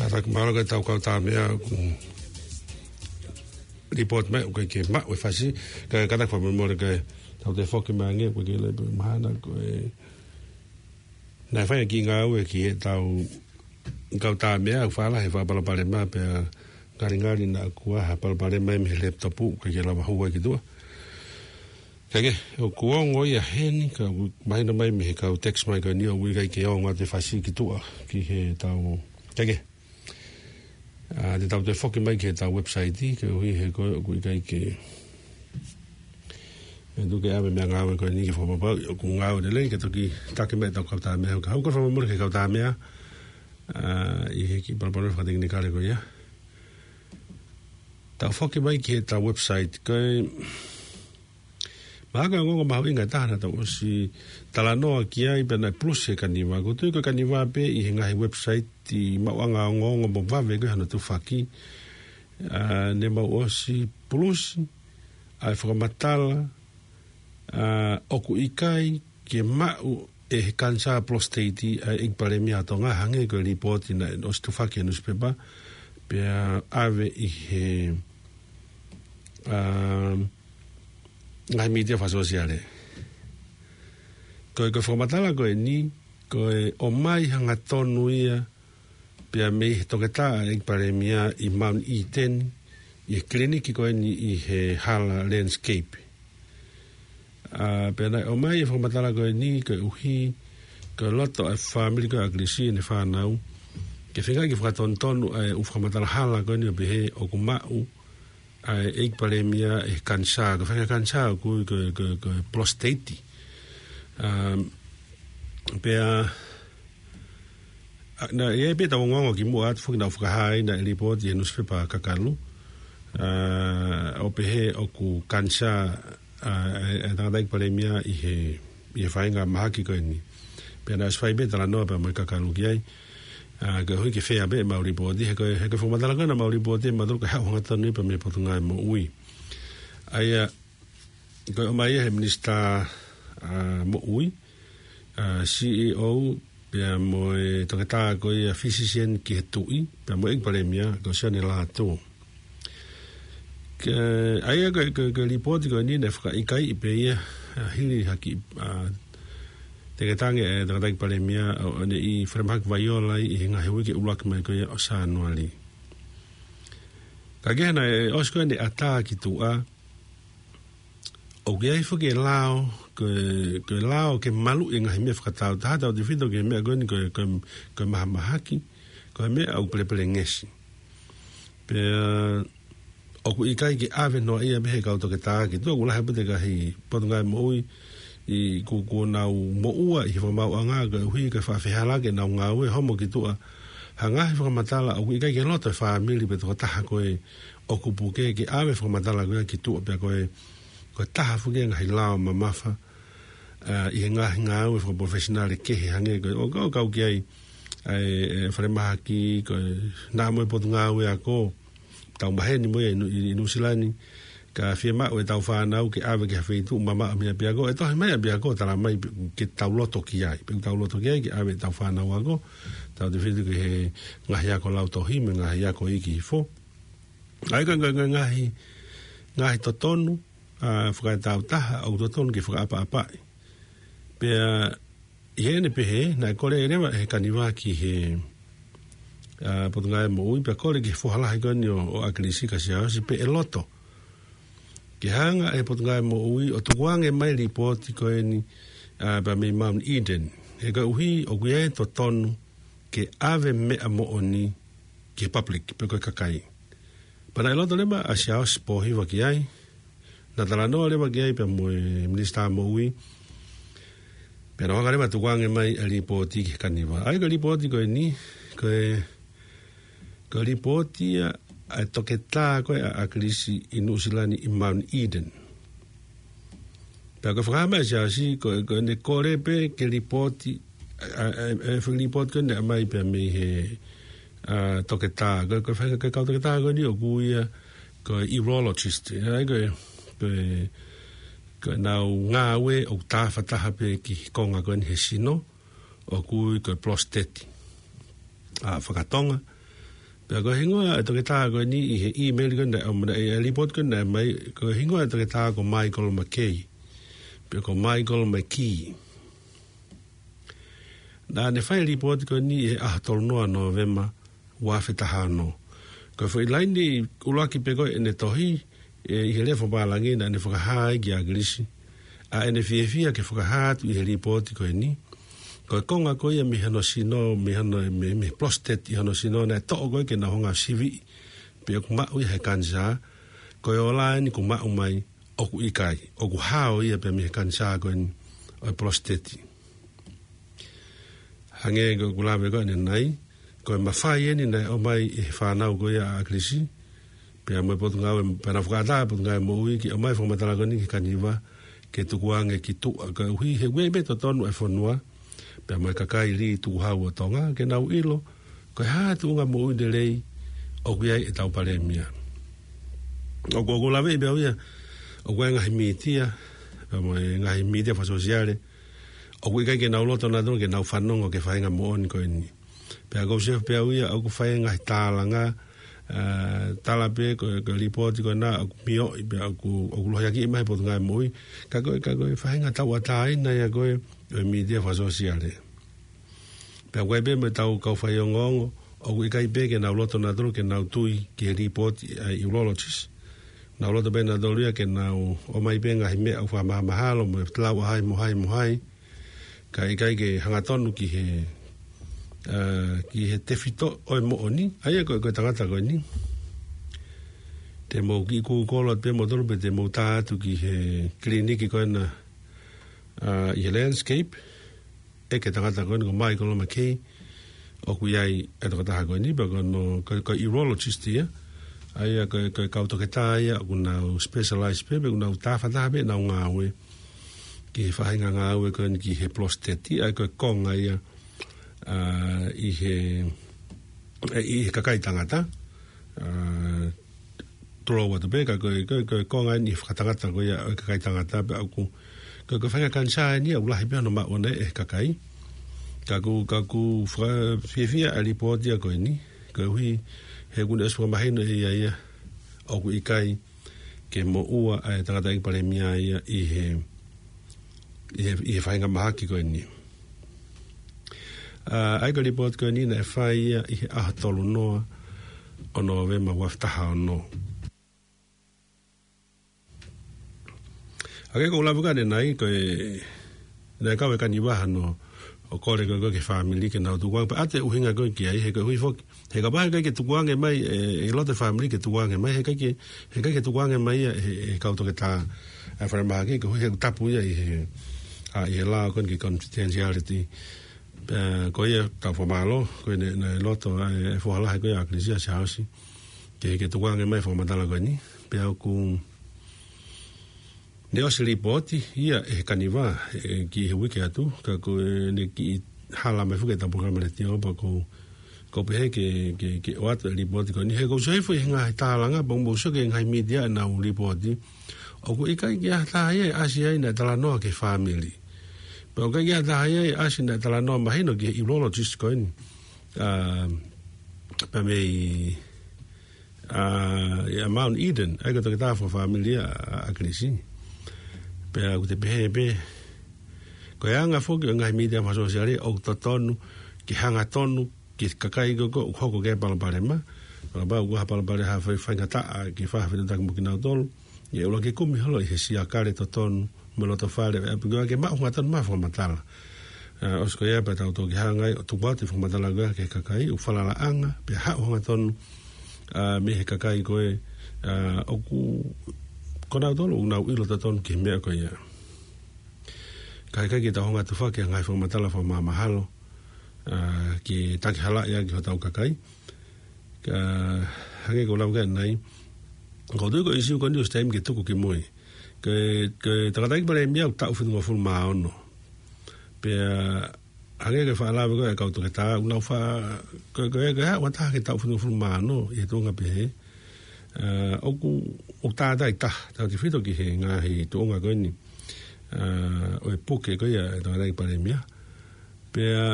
Fakamaʻalo ko e tau kau tā meʻa ʻoku report mai ʻoku ʻikai ke maʻu e fasi, ka, kātaki fakamolemole ka tau toe foki mai ange, ʻoku ʻikai ke lepe mahana ko e. Naʻe fai ʻa e kiʻi ngāue ki he tau kau tā meʻa, ʻoku fālahi e fakapalopalema pea ngalingali naʻa kuo ʻi ai ha palopalema mei he laptop ʻoku ʻikai ke lava hū ai ki tuʻa. Kae kehe, ʻoku ongo ia heni, ka ʻoku mahino mai mei he kau text mai ko eni ʻoku ʻikai ke ongo atu e fasi ki tuʻa, ki he tau. Kae kehe, ʻa, te tau toe foki mai ki he tau website, koeʻuhi he ko e ʻoku ʻikai ke. ʻE tuku ke ʻave meʻangāue ko eni ke fakapapauʻi ʻoku ngāue lelei, ke toki taki mai e tau kau tā meʻa, ka ʻoku ou fakamolemole ki he kau tā meʻa, ʻa, ʻi he kiʻi palopalema fakatekinikale ko ia. Tau foki mai ki he tau website, ko e mahaki ongoongo mahuʻinga ʻe taha naʻa tau ʻosi talanoa ki ai pea naʻe plus he Kaniva. ʻOku ou tui ko e Kaniva pē ʻi he ngaahi website ʻi maʻuʻanga ongoongo mo vave ko e hano tufaki. ʻA, ne mau ʻosi plus ʻa e fakamatala, ʻa, ʻoku ʻikai ke maʻu ʻe he kanisā prostate ʻa e ʻEiki Palēmia ʻa Tonga, hangē ko e lipooti naʻe ʻosi tufaki he nusipepa, pea ʻave ʻi he, ʻa, ngaahi mītia fakasōsiale. Ko e, ko e fakamatala ko eni, ko e ʻomai hangatonu ia, pea mei he toketā ʻa e ʻEiki Palēmia ʻi Mount Eden, ʻi he kiliniki ko eni ʻi he hala Landscape. ʻA, pea naʻe ʻomai e fakamatala ko eni koeʻuhi ko e loto ʻa e fāmili ko ē ʻa ʻAkilisi mo ʻene fānau ke feinga ke fakatonutonu ʻa e ʻū fakamatala hala ko eni ʻo pehē ʻoku maʻu ʻa e ʻEiki Palēmia ʻi he kanisā, ko e faʻahinga kanisā ʻoku ui ko e, ko e, ko e prostate. ʻA, pea ʻa, naʻe ʻi ai pē tau ongoongo kimuʻa atu foki naʻe fakahā ai naʻe lipooti he nusipepa kakalu, ʻa, ʻo pehē ʻoku kanisā, ʻa, e, e tangataʻeiki Palēmia ʻi he, ʻi he faʻahinga mahaki ko eni. Pea naʻe ʻosi fai pē talanoa pea mo e kakalu ki ai, ʻa, koeʻuhi ke fea pē ʻemau lipooti, he ko e, he ko e fakamatala ko ē naʻa mau lipooti ʻe mautolu ko e haʻu hangatonu ia pea mei he Potungāue Moʻui. ʻA ia, ko e ʻomai ia he minisitā, ʻa, moʻui, ʻa, C E O, pea mo e toketā ko ia physician ki he tuʻi, pea mo e ʻEiki Palēmia, ko Sione Lātū. Ke, ʻa ia ko e, ko e, ko e lipooti ko eni naʻe fakaʻikaiʻi pē ia, ʻa, hili ha kiʻi, ʻa, teketange ʻa e tangataʻeiki Palēmia ʻo, ʻo ne ʻi falemahaki Vaiora ai ʻi he ngaahi uike ʻuluaki mai ko ia ʻo Sānuali. Kae kehe naʻe ʻosi ko ē ʻene ʻatā ki tuʻa, ʻoku ʻi ai foki e lao, ko e, ko e lao ke maluʻi e ngaahi meʻa fakataautaha, tautefito ki he meʻa ko eni ko e, ko e, ko e mahamahaki, ko e meʻa ʻoku pelepelengesi. Pea ʻoku ʻikai ke ʻave noa ia mei he kau toketā ki tuʻa, ʻoku lahi pē e ngaahi Potungāue Moʻui ʻi, kuo, kuo nau moʻua ʻi he fakamaauʻanga koeʻuhi ko e faʻa fehālaaki ʻenau ngāue homo ki tuʻa ha ngaahi fakamatala ʻoku ʻikai ke loto e fāmili pe tokotaha ko ē ʻoku puke ke ʻave fakamatala ko ia ki tuʻa pea ko e, ko e taha foki e ngaahi lao mamafa, ʻa, ʻi he ngaahi ngāue fakapalofesinale kehe hangē ko e, ʻo, ʻo kau ki ai, ʻa e, e falemahaki, ko e, naʻa mo e Potungāue Ako, tau maheni mo ia ʻi Nu-, ʻi, ʻi Nuʻusila ni, ka fiemaʻu ʻetau fānau ke ʻave ki ha feituʻu mamaʻo mei ʻapiako, ʻe tohi mai ʻapiako, tala mai pe-, ke tau loto ki ai, pe tau loto ki ai, ke ʻave ʻetau fānau ako, tautefito ki he ngaahi ako lautohi, mo e ngaahi ako iiki hifo. ʻA ia ko e, ko e, ko e ngaahi, ngaahi totonu, ʻa, fakatāutaha, ʻoku totonu ke fakaʻapaʻapaʻi. Pea, ʻi heʻene pehē, naʻe kole leva ʻe he Kaniva ki he, ʻa, Potungāue Moʻui, pea kole ki he foha lahi ko eni ʻo, ʻo ʻAkilisi kia Siaosi pe ʻe loto ke hanga ʻe he Potungāue Moʻui ʻo tukuange mai e lipooti ko eni, ʻa, pea mei Mount Eden. He koeʻuhi, ʻoku ʻi ai e totonu ke ʻave meʻa moʻoni ki he public, pe ko e kakai. Pea naʻe loto leva ʻa Siaosi Pōhiva ki ai, naʻa talanoa leva ki ai pea mo e Minisitā Moʻui, pea naʻa hanga leva ʻo tukuange mai e lipooti ki he Kaniva. ʻA ia ko e lipooti ko eni, ko e, ko e lipooti ia ʻa e toketā ko ē ʻa ʻAkilisi ʻi Nuʻusila ni ʻi Mount Eden. Pea ko e fakahā mai ʻa Siaosi, ko e, ko ʻene kole pē ke lipooti, ʻa, ʻa, ʻa, ʻa e lipooti ko eni naʻe ʻomai pea mei he, ʻa, toketā, ko e, ko e faʻahinga kau toketā ko eni ʻoku ui ia ko e urologist. ʻA ia ko e, ko e, ko ʻenau ngāue ʻoku tāfataha pē ki he konga ko eni he sino, ʻoku ui ko e prostate. ʻA, fakatonga, Pea ko e hingoa e toketā ko eni ʻi he email ko eni, ʻa, ʻa e report ko eni mai, ko e hingoa e toketā ko Michael McKay. Pea ko Michael McKay. Naʻa ne fai e report ko eni ʻi he ʻaho tolu noa November, ua afe taha ono. Ko e foʻi laine ʻuluaki pē ko ē ʻene tohi, ē, ʻi he lea fakapālangi naʻa ne fakahā ai kia ʻAkilisi ʻa ʻene fiefia ke fakahā atu ʻi he report ko eni. Ko e konga ko ia mei hono sino, mei hono, mei, mei he prostate ʻi hono sino, naʻe toʻo ko ē ke nau hanga ʻo siviʻi pe ʻoku maʻu ia he kanisā. Ko e ola eni kuo maʻu mai, ʻoku ʻikai, ʻoku hao ia pē mei he kanisā ko eni ʻo e prostate. Hangē ko ʻeku lave ko eni ʻanenai, ko e mafai eni naʻe ʻomai ʻe he fānau ko ia ʻa ʻAkilisi, pea mo e Potungāue, pea naʻe fakaʻatā e Potungāue Moʻui ke ʻomai e fakamatala ko eni ki he kaniva, ke tukuange ki tuʻa, koeʻuhi he ʻoku ʻi ai pē totonu e fonua, pea mo e kakai lī tukuhau ʻo Tonga, ke nau ʻilo ko e hā e tuʻunga moʻui lelei ʻoku ʻi ai ʻetau palēmia. ʻOku, ʻoku ou laveʻi pē au ia, ʻoku ʻi ai e ngaahi mītia, pea mo e ngaahi mītia fakasōsiale, ʻoku ʻikai ke nau loto nautolu ke nau fanongo ki he faʻahinga moʻoni ko eni. Pea ʻoku ou sio pē au ia, ʻoku fai e ngaahi tālanga, ā, tala pē ko, ko e report ko ena ʻoku mioʻi, pea ʻoku, ʻoku lohiakiʻi mai he Potungāue Moʻui, ka ko e, ka ko e faʻahinga tauʻatāina ia ko ē ʻo e mītia fakasōsiale. Pea ʻoku ʻi ai pē mo ʻetau kau faiongoongo, ʻoku ʻikai pē ke nau loto nautolu ke nau tui ki he report ʻa e urologist. Nau loto pē nautolu ia ke nau ʻomai pē ngaahi meʻa ʻoku fakamahamahalo mo e lau ʻa hai mo hai mo hai. Ka ʻikai ke hangatonu ki he, ā, ki he tefitoʻi moʻoni, ʻa ia ko, ko e tangata ko eni. Te mou kiʻi kūkolo atu pē moutolu pe te mou tā atu ki he kiliniki ko ena, ā, ʻi he Landscape, ʻeke e tangata ko eni ko Michael McKay, ʻoku ʻi ai e tokotaha ko eni, pea ko hono, ko, ko e urologist ia, ʻa ia ko, ko e kau toketā ia, ʻoku nau specialize pē, pe ʻoku nau tāfataha pē ʻenau ngāue ki he faʻahinga ngāue ko eni ki he prostate, ʻa ia ko e konga ia, ā, ʻi he, ʻi he kakai tangata, ā, tulou atu pē, ka ko e, ko e, ko e konga eni ʻi he fakatangata ko ia ʻo e kakai tangata pea ʻoku, ko e, ko e faʻahinga kanisā eni ia ʻoku lahi pē hono maʻu ʻana ʻe he kakai. Ka ʻoku, ka ʻoku fakafiefia ʻa e report ia ko eni, koeʻuhi he ʻoku ne ʻosi fakamahino ʻe ia ia ʻoku ʻikai ke moʻua ʻa e tangataʻeiki palēmia ia ʻi he, ʻi he, ʻi he faʻahinga mahaki ko eni. Ā, ʻa ia ko e report ko eni naʻe fai ia ʻi he ʻaho tolu noa ʻo November ua afe taha ono. Hangē ko ʻeku lave ko eni ʻanenai, ko e, naʻe kau e kaniva hano ʻo kole ko ē ki he fāmili ke nau tukuange, pea ʻoatu e ʻuhinga ko ē ki ai, he koeʻuhi foki he kapau he ʻikai ke tukuange mai, ē, ʻi loto e fāmili ke tukuange mai, he ʻikai ke, he ʻikai ke tukuange mai ia ʻe he, he kau toketā ʻa e falemahaki, koeʻuhi he ʻoku tapu ia ʻi he, ā, ʻi he lao ko eni ki he confidentiality. Pea ko ia tau fakamālō, ko ē naʻe, naʻe loto ʻa e, e foha lahi ko ia ʻa ʻAkilisi, ʻa Siaosi, ke, ke tukuange mai e fakamatala ko eni. Pea ʻoku ne ʻosi lipooti ia ʻe he kaniva, ē, ki he uike atu, ka ko ʻene kiʻi hala mai foki ʻetau polokalama letiō, pea ʻoku ou, ʻoku ou pehē ke, ke, ke ʻoatu e lipooti ko eni. He ʻoku ou sio hifo ʻi he ngaahi tālanga, pea ʻoku ou sio ki he ngaahi mītia ʻenau lipooti, ʻoku ʻikai ke ʻi ai ha taha ia ʻe ʻasi ai naʻe talanoa ki he fāmili. Pea ʻoku ʻikai ke ʻi ai ha taha ia ʻe ʻasi naʻe talanoa mahino ki he urologist ko eni. Ā, pea mei ā, ʻia Mount Eden, ʻa ia ko e toketā fakafāmili ʻa, ʻa ʻAkilisi. Pea ʻoku te pehē pē, ko e anga foki ʻo e ngaahi mītia fakasōsiale, ʻoku totonu ke hangatonu ki he kakai ko ē ʻoku hoko ki ai e palopalema. Kapau ʻoku ʻi ai ha palopalema, ha fai, faingataʻa ke fai ha fetuʻutaki mo kinautolu, ʻe ʻuluaki kumi holo ʻi he siakale totonu mo e loto fale ʻo e ʻapi ko ia ke maʻu hangatonu mai e fakamatala. Ā, ʻosi ko ia pea tau toki hanga ai ʻo tuku atu e fakamatala ko ia ki he kakai ʻoku falalaʻanga, pea haʻu hangatonu, ā, mei he kakai ko ē, ā, ʻoku, ko nautolu ʻoku nau ʻilo totonu ki he meʻa ko ia. Ka ʻikai ke tau hanga atu foki ki he ngaahi fakamatala fakamahamahalo, ā, ke takihalaʻi ʻaki hotau kakai. Ka hangē ko ʻeku lave ko ē ʻanenai, ʻoku ou tui ko e ʻīsiu ko eni ʻosi taimi ke tuku ki mui. Ko e, ko e tangataʻeiki palēmia ʻoku taʻu fitungofulu mā ono. Pea hangē ko e faʻa lave ko ē ʻa e kau toketā, ʻoku nau fa-, ko e, ko e, ko e hā ʻoku ʻatā ke taʻu fitungofulu mā ono ʻi he tuʻunga pehē. Ā, ʻoku, ʻoku tātāitaha, tautefito ki he ngaahi tuʻunga ko eni, ā, ʻo e puke ko ia ʻa e tangataʻeiki palēmia. Pea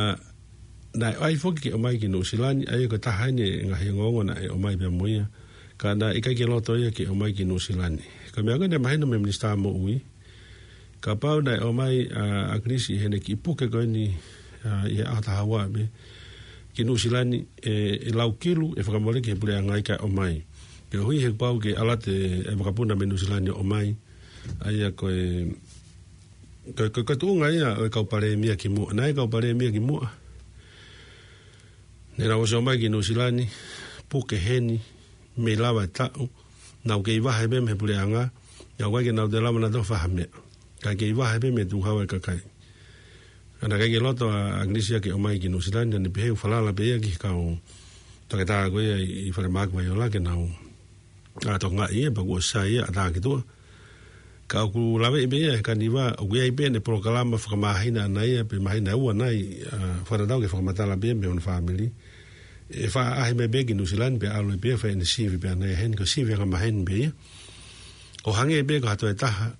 naʻe ʻai foki ke ʻomai ki Nuʻusila ni, ʻa ia ko e taha eni e ngaahi ongoongo naʻe ʻomai pea mo ia. Ka naʻe ʻikai ke loto ia ke ʻomai ki Nuʻusila ni. Ko e meʻa ko ē naʻe mahino mei he Minisitā Moʻui, kapau naʻe ʻomai ʻa ʻAkilisi ʻi heʻene kiʻi puke ko eni, ʻa, ʻi he ʻaho taha ua pē ki Nuʻusila ni, ʻe, ʻe lau kilu ʻe fakamole ki he puleʻanga ia kae ʻomai. Koeʻuhi he kuo pau ke ʻalu atu e, e vakapuna mei Nuʻusila ni ʻo ʻomai. ʻA ia ko e, ko e, ko e, ko e tuʻunga ia ʻo e kau palēmia kimuʻa. Naʻe kau palēmia kimuʻa. Ne nau ʻosi ʻomai ki Nuʻusila ni, puke heni, mei lava e taʻu, nau kei vahe pē mei he puleʻanga, ʻikai ke nau toe lava nautolu ʻo fai ha meʻa. Kae kei vahe pē mei he tukuhau e kakai. Ka naʻe ʻikai ke loto ʻa, ʻa ʻAkilisi ia ke ʻomai ki Nuʻusila ni, naʻa ne pehē ʻoku falala pē ia ki he kau toketā ko ia ʻi, ʻi Falemahaki Vaiola ke nau, ʻa, tokangaʻi ia, pea kuo ʻosi sai ia, ʻatā ki tuʻa. Ka ʻoku laveʻi pē ia he Kaniva, ʻoku ʻi ai pē ʻene polokalama fakamāhina ʻana ia, pe māhina ʻe ua nai, ʻa, fakatatau ki he fakamatala pē ia mei hono fāmili. ʻE faʻa ʻaʻahi mai pē ia ki Nuʻusila ni pea ʻalu pē ia ʻo fai ʻene sivi pē ʻana ia heni, ko e sivi angamaheni pē ia. ʻO hangē pē ko ha toe taha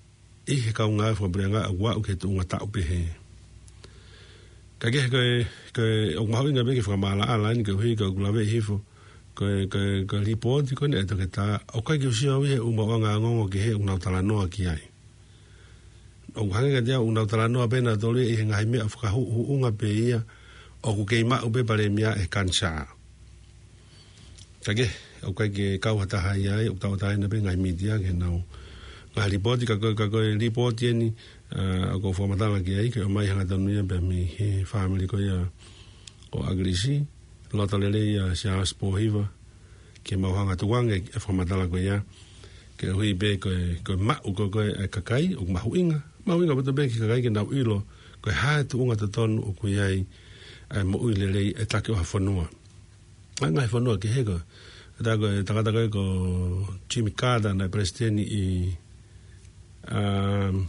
ʻi he kau ngāue fakapuleʻanga ʻoku aʻu ki he tuʻunga taʻu pehē. Ka kehe ko e, ko e, ʻoku mahuʻinga pē ke fakamaʻalaʻala eni koeʻuhi ko ʻeku laveʻi hifo. Ko e, ko e, ko e lipooti ko eni ʻa e toketā, ʻoku ʻikai ke u sio au ʻi he ʻū maʻuʻanga ongoongo kehe ʻoku nau talanoa ki ai. ʻOku hangē kiate au ʻoku nau talanoa pē nautolu ia ʻi he ngaahi meʻa fakahuʻuhuʻunga pē ia ʻoku kei maʻu pē palēmia ʻe he kanisā. Ka kehe, ʻoku ʻikai ke kau ha taha ia ai, ʻoku tauʻatāina pē ngaahi mītia ke nau ngaahi lipooti, ka ko e, ka ko e lipooti eni, ʻa, ʻoku ou fakamatala ki ai, ke ʻomai hangatonu ia pea mei he fāmili ko ia ʻo ʻAkilisi, loto lelei ʻa Siaosi Pōhiva, ke mau hanga tukuange e fakamatala ko ia, koeʻuhi pē ko e, ko e maʻu ko ē ʻa e kakai, ʻoku mahuʻinga, mahuʻinga ʻaupito pē ki he kakai ke nau ʻilo, ko e hā e tuʻunga totonu ʻoku ʻi ai ʻa e moʻui lelei ʻa e taki ʻo ha fonua. ʻA e ngaahi fonua kehe ko ē. Tā ko e tangata ko ē ko Jimmy Carter naʻe palesiteni ʻi, um,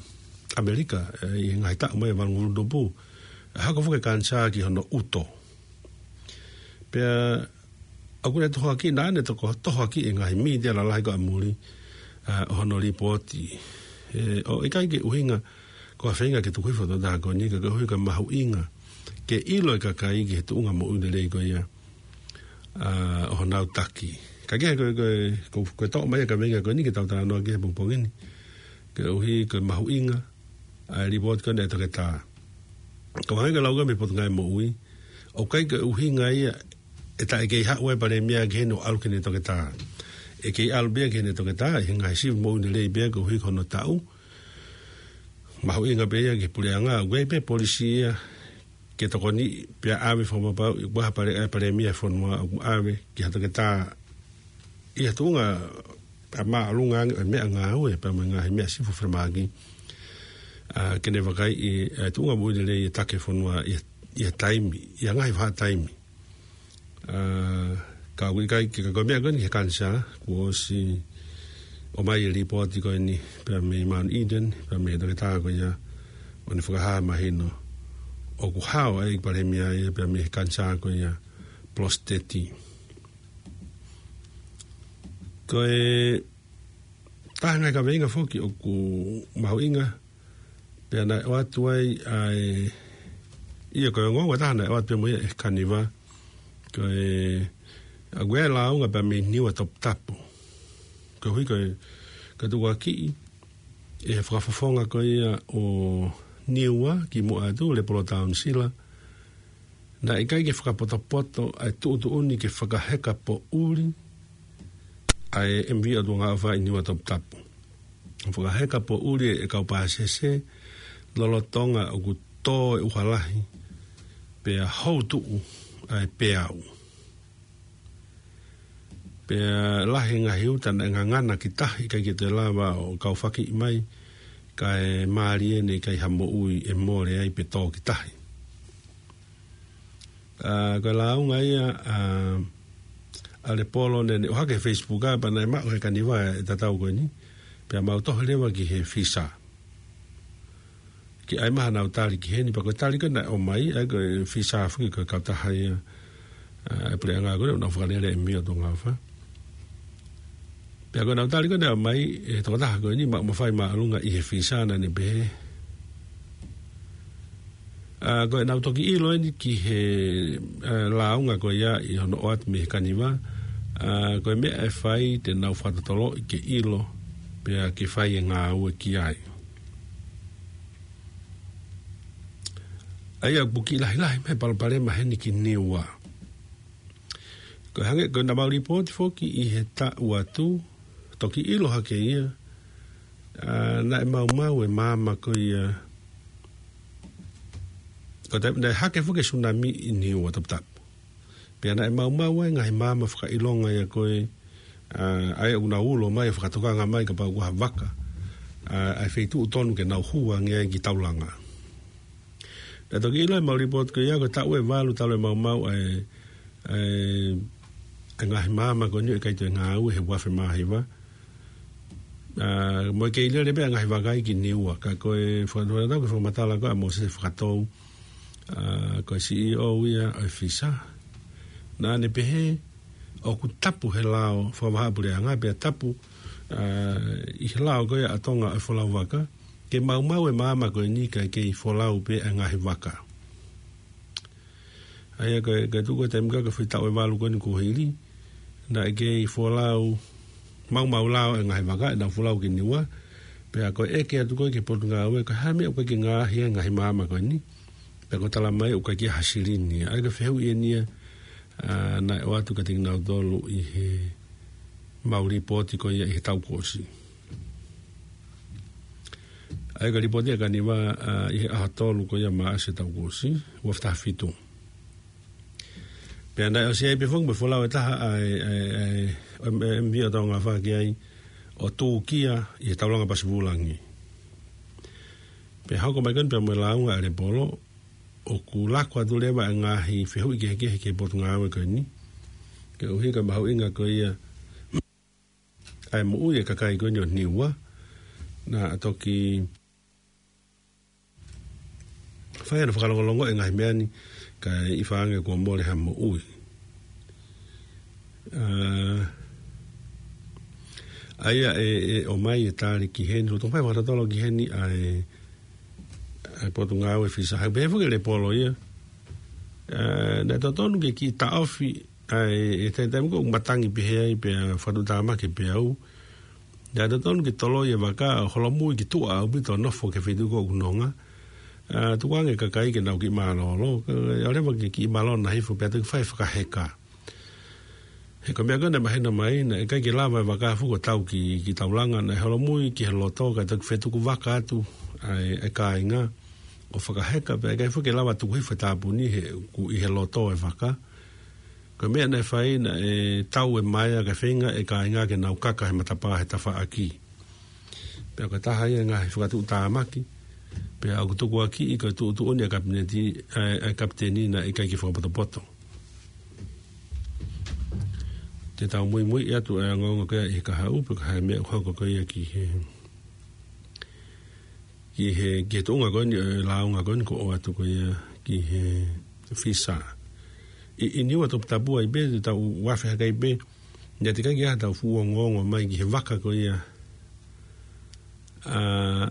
ʻAmelika, ʻe, ʻi he ngaahi taʻu mai valungofulu tupu. ʻE hoko foki e kanisā ki hono ʻuto. Pea ʻoku ne tohoakiʻi, naʻa ne toko, tohoakiʻi e ngaahi mītia lalahi ko ē ʻa muli, ʻa, ʻo hono lipooti. ʻE, ʻo ʻikai ke ʻuhinga, ko ha feinga ke tuku hifo e tokotaha ko eni, ka koeʻuhi ko e mahuʻinga ke ʻilo e kakai ki he tuʻunga moʻui lelei ko ia, ʻa, ʻo honau taki. Ka kehe ko e, ko e, ko e, ko e toʻo mai e kaveinga ko eni ke tau talanoa ki ai he pongipongi ni. Koeʻuhi ko e mahuʻinga ʻa e lipooti ko eni ʻa e toketā. Ka ʻoku hangē ko e lau ko ē mei he Potungāue Moʻui, ʻoku ʻikai ke ʻuhinga ia ʻe taʻe kei haʻu e palēmia ki heni ʻo ʻalu ki heʻene toketā. ʻE kei ʻalu pē ia ki heʻene toketā, ʻi he ngaahi sivi moʻui lelei pē ia koeʻuhi ko hono taʻu. Mahuʻinga pē ia ki he puleʻanga, ʻoku ʻi ai pē polisi ia ke tokoni pea ʻave fakapapau, ʻi ha pale-, ʻa e palēmia e fonua ʻoku ʻave ki ha toketā ʻi ha tuʻunga pea māʻolunga ange ʻo e meʻangāue pea mo e ngaahi meʻa sivi fakafalemahaki. ʻA, ke ne vakaiʻi e tuʻunga moʻui lelei e taki e fonua ʻi, ʻi ha taimi, ʻi ha ngaahi vahaʻa taimi. ʻA, ka ʻoku ʻikai ke, ka ko e meʻa ko eni he kanisā, kuo ʻosi ʻomai e lipooti ko eni, pea mei Mount Eden, pea mei he toketā ko ia, ʻo ne fakahā mahino ʻoku hao ai e palēmia ia pea mei he kanisā ko ia, polositeti. Ko e taha e ngaahi kaveinga foki ʻoku mahuʻinga, pea naʻe ʻoatu ai ʻa e, ia ko e ongoongo ʻe taha naʻe ʻoatu pē mo ia ʻe Kaniva, ko e, ʻa, ko e lāunga pea mei Niua Toputapu. Koeʻuhi ko e, ka tukuakiʻi ʻe he fakafofonga ko ia ʻo Niua kimuʻa atu, Lepolo Taunisila, naʻe ʻikai ke fakapotopoto ʻa e tuʻutuʻuni ke fakaheka poʻuli ʻa e M V ʻOtua Ngaʻofa ʻi Niua Toputapu. Fakaheka poʻuli e kau pāsese lolotonga ʻoku tō e ʻuha lahi pea houtuʻu ʻa e peau. Pea lahi e ngaahi uta naʻe ngangana ki tahi, ʻikai ke toe lava ʻo kaufakiʻi mai, kae mālie eni ʻikai ha moʻui ʻe mole ai pe tō ki tahi. ʻA, ko e lāunga ia, ʻa, ʻa Lepolo ne, ne ʻohake he Facebook ʻa, pea naʻe maʻu ʻe Kaniva e tatau ko eni, pea mau tohi leva ki he FISA. Ke ʻai mai haʻanau tali ki heni, pea ko e tali ko ē naʻe ʻomai, ʻa ia ko e FISA foki ko e kautaha ia, ʻa, e puleʻanga ko ē naʻa nau fakalele e M V ʻOtua Ngaʻofa. Pea ko ʻenau tali ko ē naʻe ʻomai ʻe he tokotaha ko eni, maʻu mafai māʻolunga ʻi he FISA, naʻa ne pehē, ʻA, ko ʻenau toki ʻilo eni ki he, ʻa, lāunga ko ia ʻi hono ʻoatu mei he kaniva. ʻA, ko e meʻa ʻe fai te nau fakatotoloʻi ke ʻilo, pea ke fai e ngāue ki ai. ʻA ia ʻoku kiʻi lahilahi mai e palopalema heni ki Niua. Ko e hangē ko ʻenau mau lipooti foki ʻi he taʻu atu, toki ʻilo hake ia, ʻa, naʻe maumau e maama ko ia, ko e taimi naʻe hake foki e sunami ʻi Niua Toputapu. Pea naʻe maumau ai e ngaahi maama fakaʻilonga ia ko ē, ʻa, ʻa ia ʻoku nau ulo mai ʻo fakatokanga mai kapau ko ha vaka, ʻa, ʻa e feituʻu tonu ke nau hū ange ai ki taulanga. Naʻe toki ʻilo ʻe he mau lipooti ko ia ko e taʻu ʻe valu talu e maumau ʻa e, ʻa e, ʻa e ngaahi maama ko eni ʻo ʻikai toe ngāue he uafe mā hiva. ʻA, mo e kei lele pē ʻa e ngaahi vaka ia ki Niua, ka ko e faka-, faka-, ko e fakamatala ko ē ʻa Mōsese Fakatou, ʻa, ko e C E O ia ʻo e FISA. Naʻa ne pehē, ʻoku tapu he lao fakavahaʻapuleʻanga, pea tapu, ʻa, ʻi he lao ko ia ʻa Tonga ʻo e folau vaka, ke maumau e maama ko eni kae kei folau pē ʻa e ngaahi vaka. ʻA ia ko e, ko e tuku e taimi ko ē ko e foʻi taʻu ʻe valu ko eni kuo hili, naʻe kei folau, maumau lao e ngaahi vaka, ʻenau folau ki Niua, pea ko e ʻeke atu ko ē ki he Potungāue, ko e hā e meʻa ʻoku ʻikai ke ngaohi ai e ngaahi maama ko eni, pea ko e tala mai ʻoku ʻikai ke ʻi ai ha silini. ʻA ia ko e fehuʻi eni ia, ʻa, naʻe ʻoatu kiate kinautolu ʻi he mau lipooti ko ia ʻi he taʻu kuo ʻosi. ʻA ia ko e lipooti ʻa e kaniva, ʻa, ʻi he ʻaho tolu ko ia Maʻasi taʻu kuo ʻosi, uafe taha fitu. Pea naʻe ʻosi ai pē foki mo e folau ʻe taha ʻa e, ʻa e, ʻa e, ʻo e M V ʻo Tonga Fā ki ai ʻo tūkia ʻi he taulanga pasi vulangi. Pea hoko mai ko eni pea mo e lāunga ʻa e lepolo, ʻoku lako atu leva e ngaahi fehuʻi kehekehe ki he Potungāue ko eni. Koeʻuhi ko e mahuʻinga ko ia ʻa e moʻui e kakai ko eni ʻo Niua, naʻa toki fai hano fakalongolongo e ngaahi meʻa ni, kae ʻi ai ha ngaahi kuo mole ha moʻui. ʻA, ʻa ia ʻe, ʻe ʻomai e tali ki heni, ʻo tō fai fakatotolo ki heni ʻa e, ʻa e Potungāue FISA. He pehē foki e lepolo ia, ʻa, naʻe totonu ke kiʻi taʻofi ʻa e, e taimi, taimi ko ē ʻoku matangi pehē ai pea fakatuʻutāmaki pē au. Naʻe totonu ke toloi e vaka ʻo holomui ki tuʻa ʻaupito ʻo nofo ki he feituʻu ko ē ʻoku nonga. ʻA, tukuange e kakai ke nau kiʻi mālōlō, kae ʻoua leva ke kiʻi malona hifo pea toki fai e fakaheka. He ko e meʻa ko ē naʻe mahino mai, naʻe ʻikai ke lava e vaka foki ʻo tau ki, ki taulanga, naʻe holomui ki he loto, kae toki fetuku vaka atu ʻa e, e kāinga ʻo fakaheka, pea ʻikai foki ke lava tuku hifo e tāpuni he, ʻoku ʻi he loto e vaka. Ko e meʻa naʻe fai naʻe tau e maea kae feinga e kāinga ke nau kaka he matapā he tafaʻaki. Pea ko e taha ia e ngaahi fakatuʻutāmaki, pea ʻoku tukuakiʻi ko e tuʻutuʻuni ʻa e kapineti, ʻa e, ʻa e kapiteni naʻe ʻikai ke fakapotopoto. Te tau muimui atu e ongoongo ko ia ʻi he kahaʻu, pe ko e hā e meʻa ʻoku hoko ko ia ki he ki he, ki he tuʻunga ko eni, e lāunga ko eni kuo ʻoatu ko ia ki he FISA. ʻI, ʻi Niua Toputapu ai pē, te tau uafe hake ai pē, naʻe teʻeki ai ke ʻi ai ha tau fuʻu ongoongo mai ki he vaka ko ia. ʻA,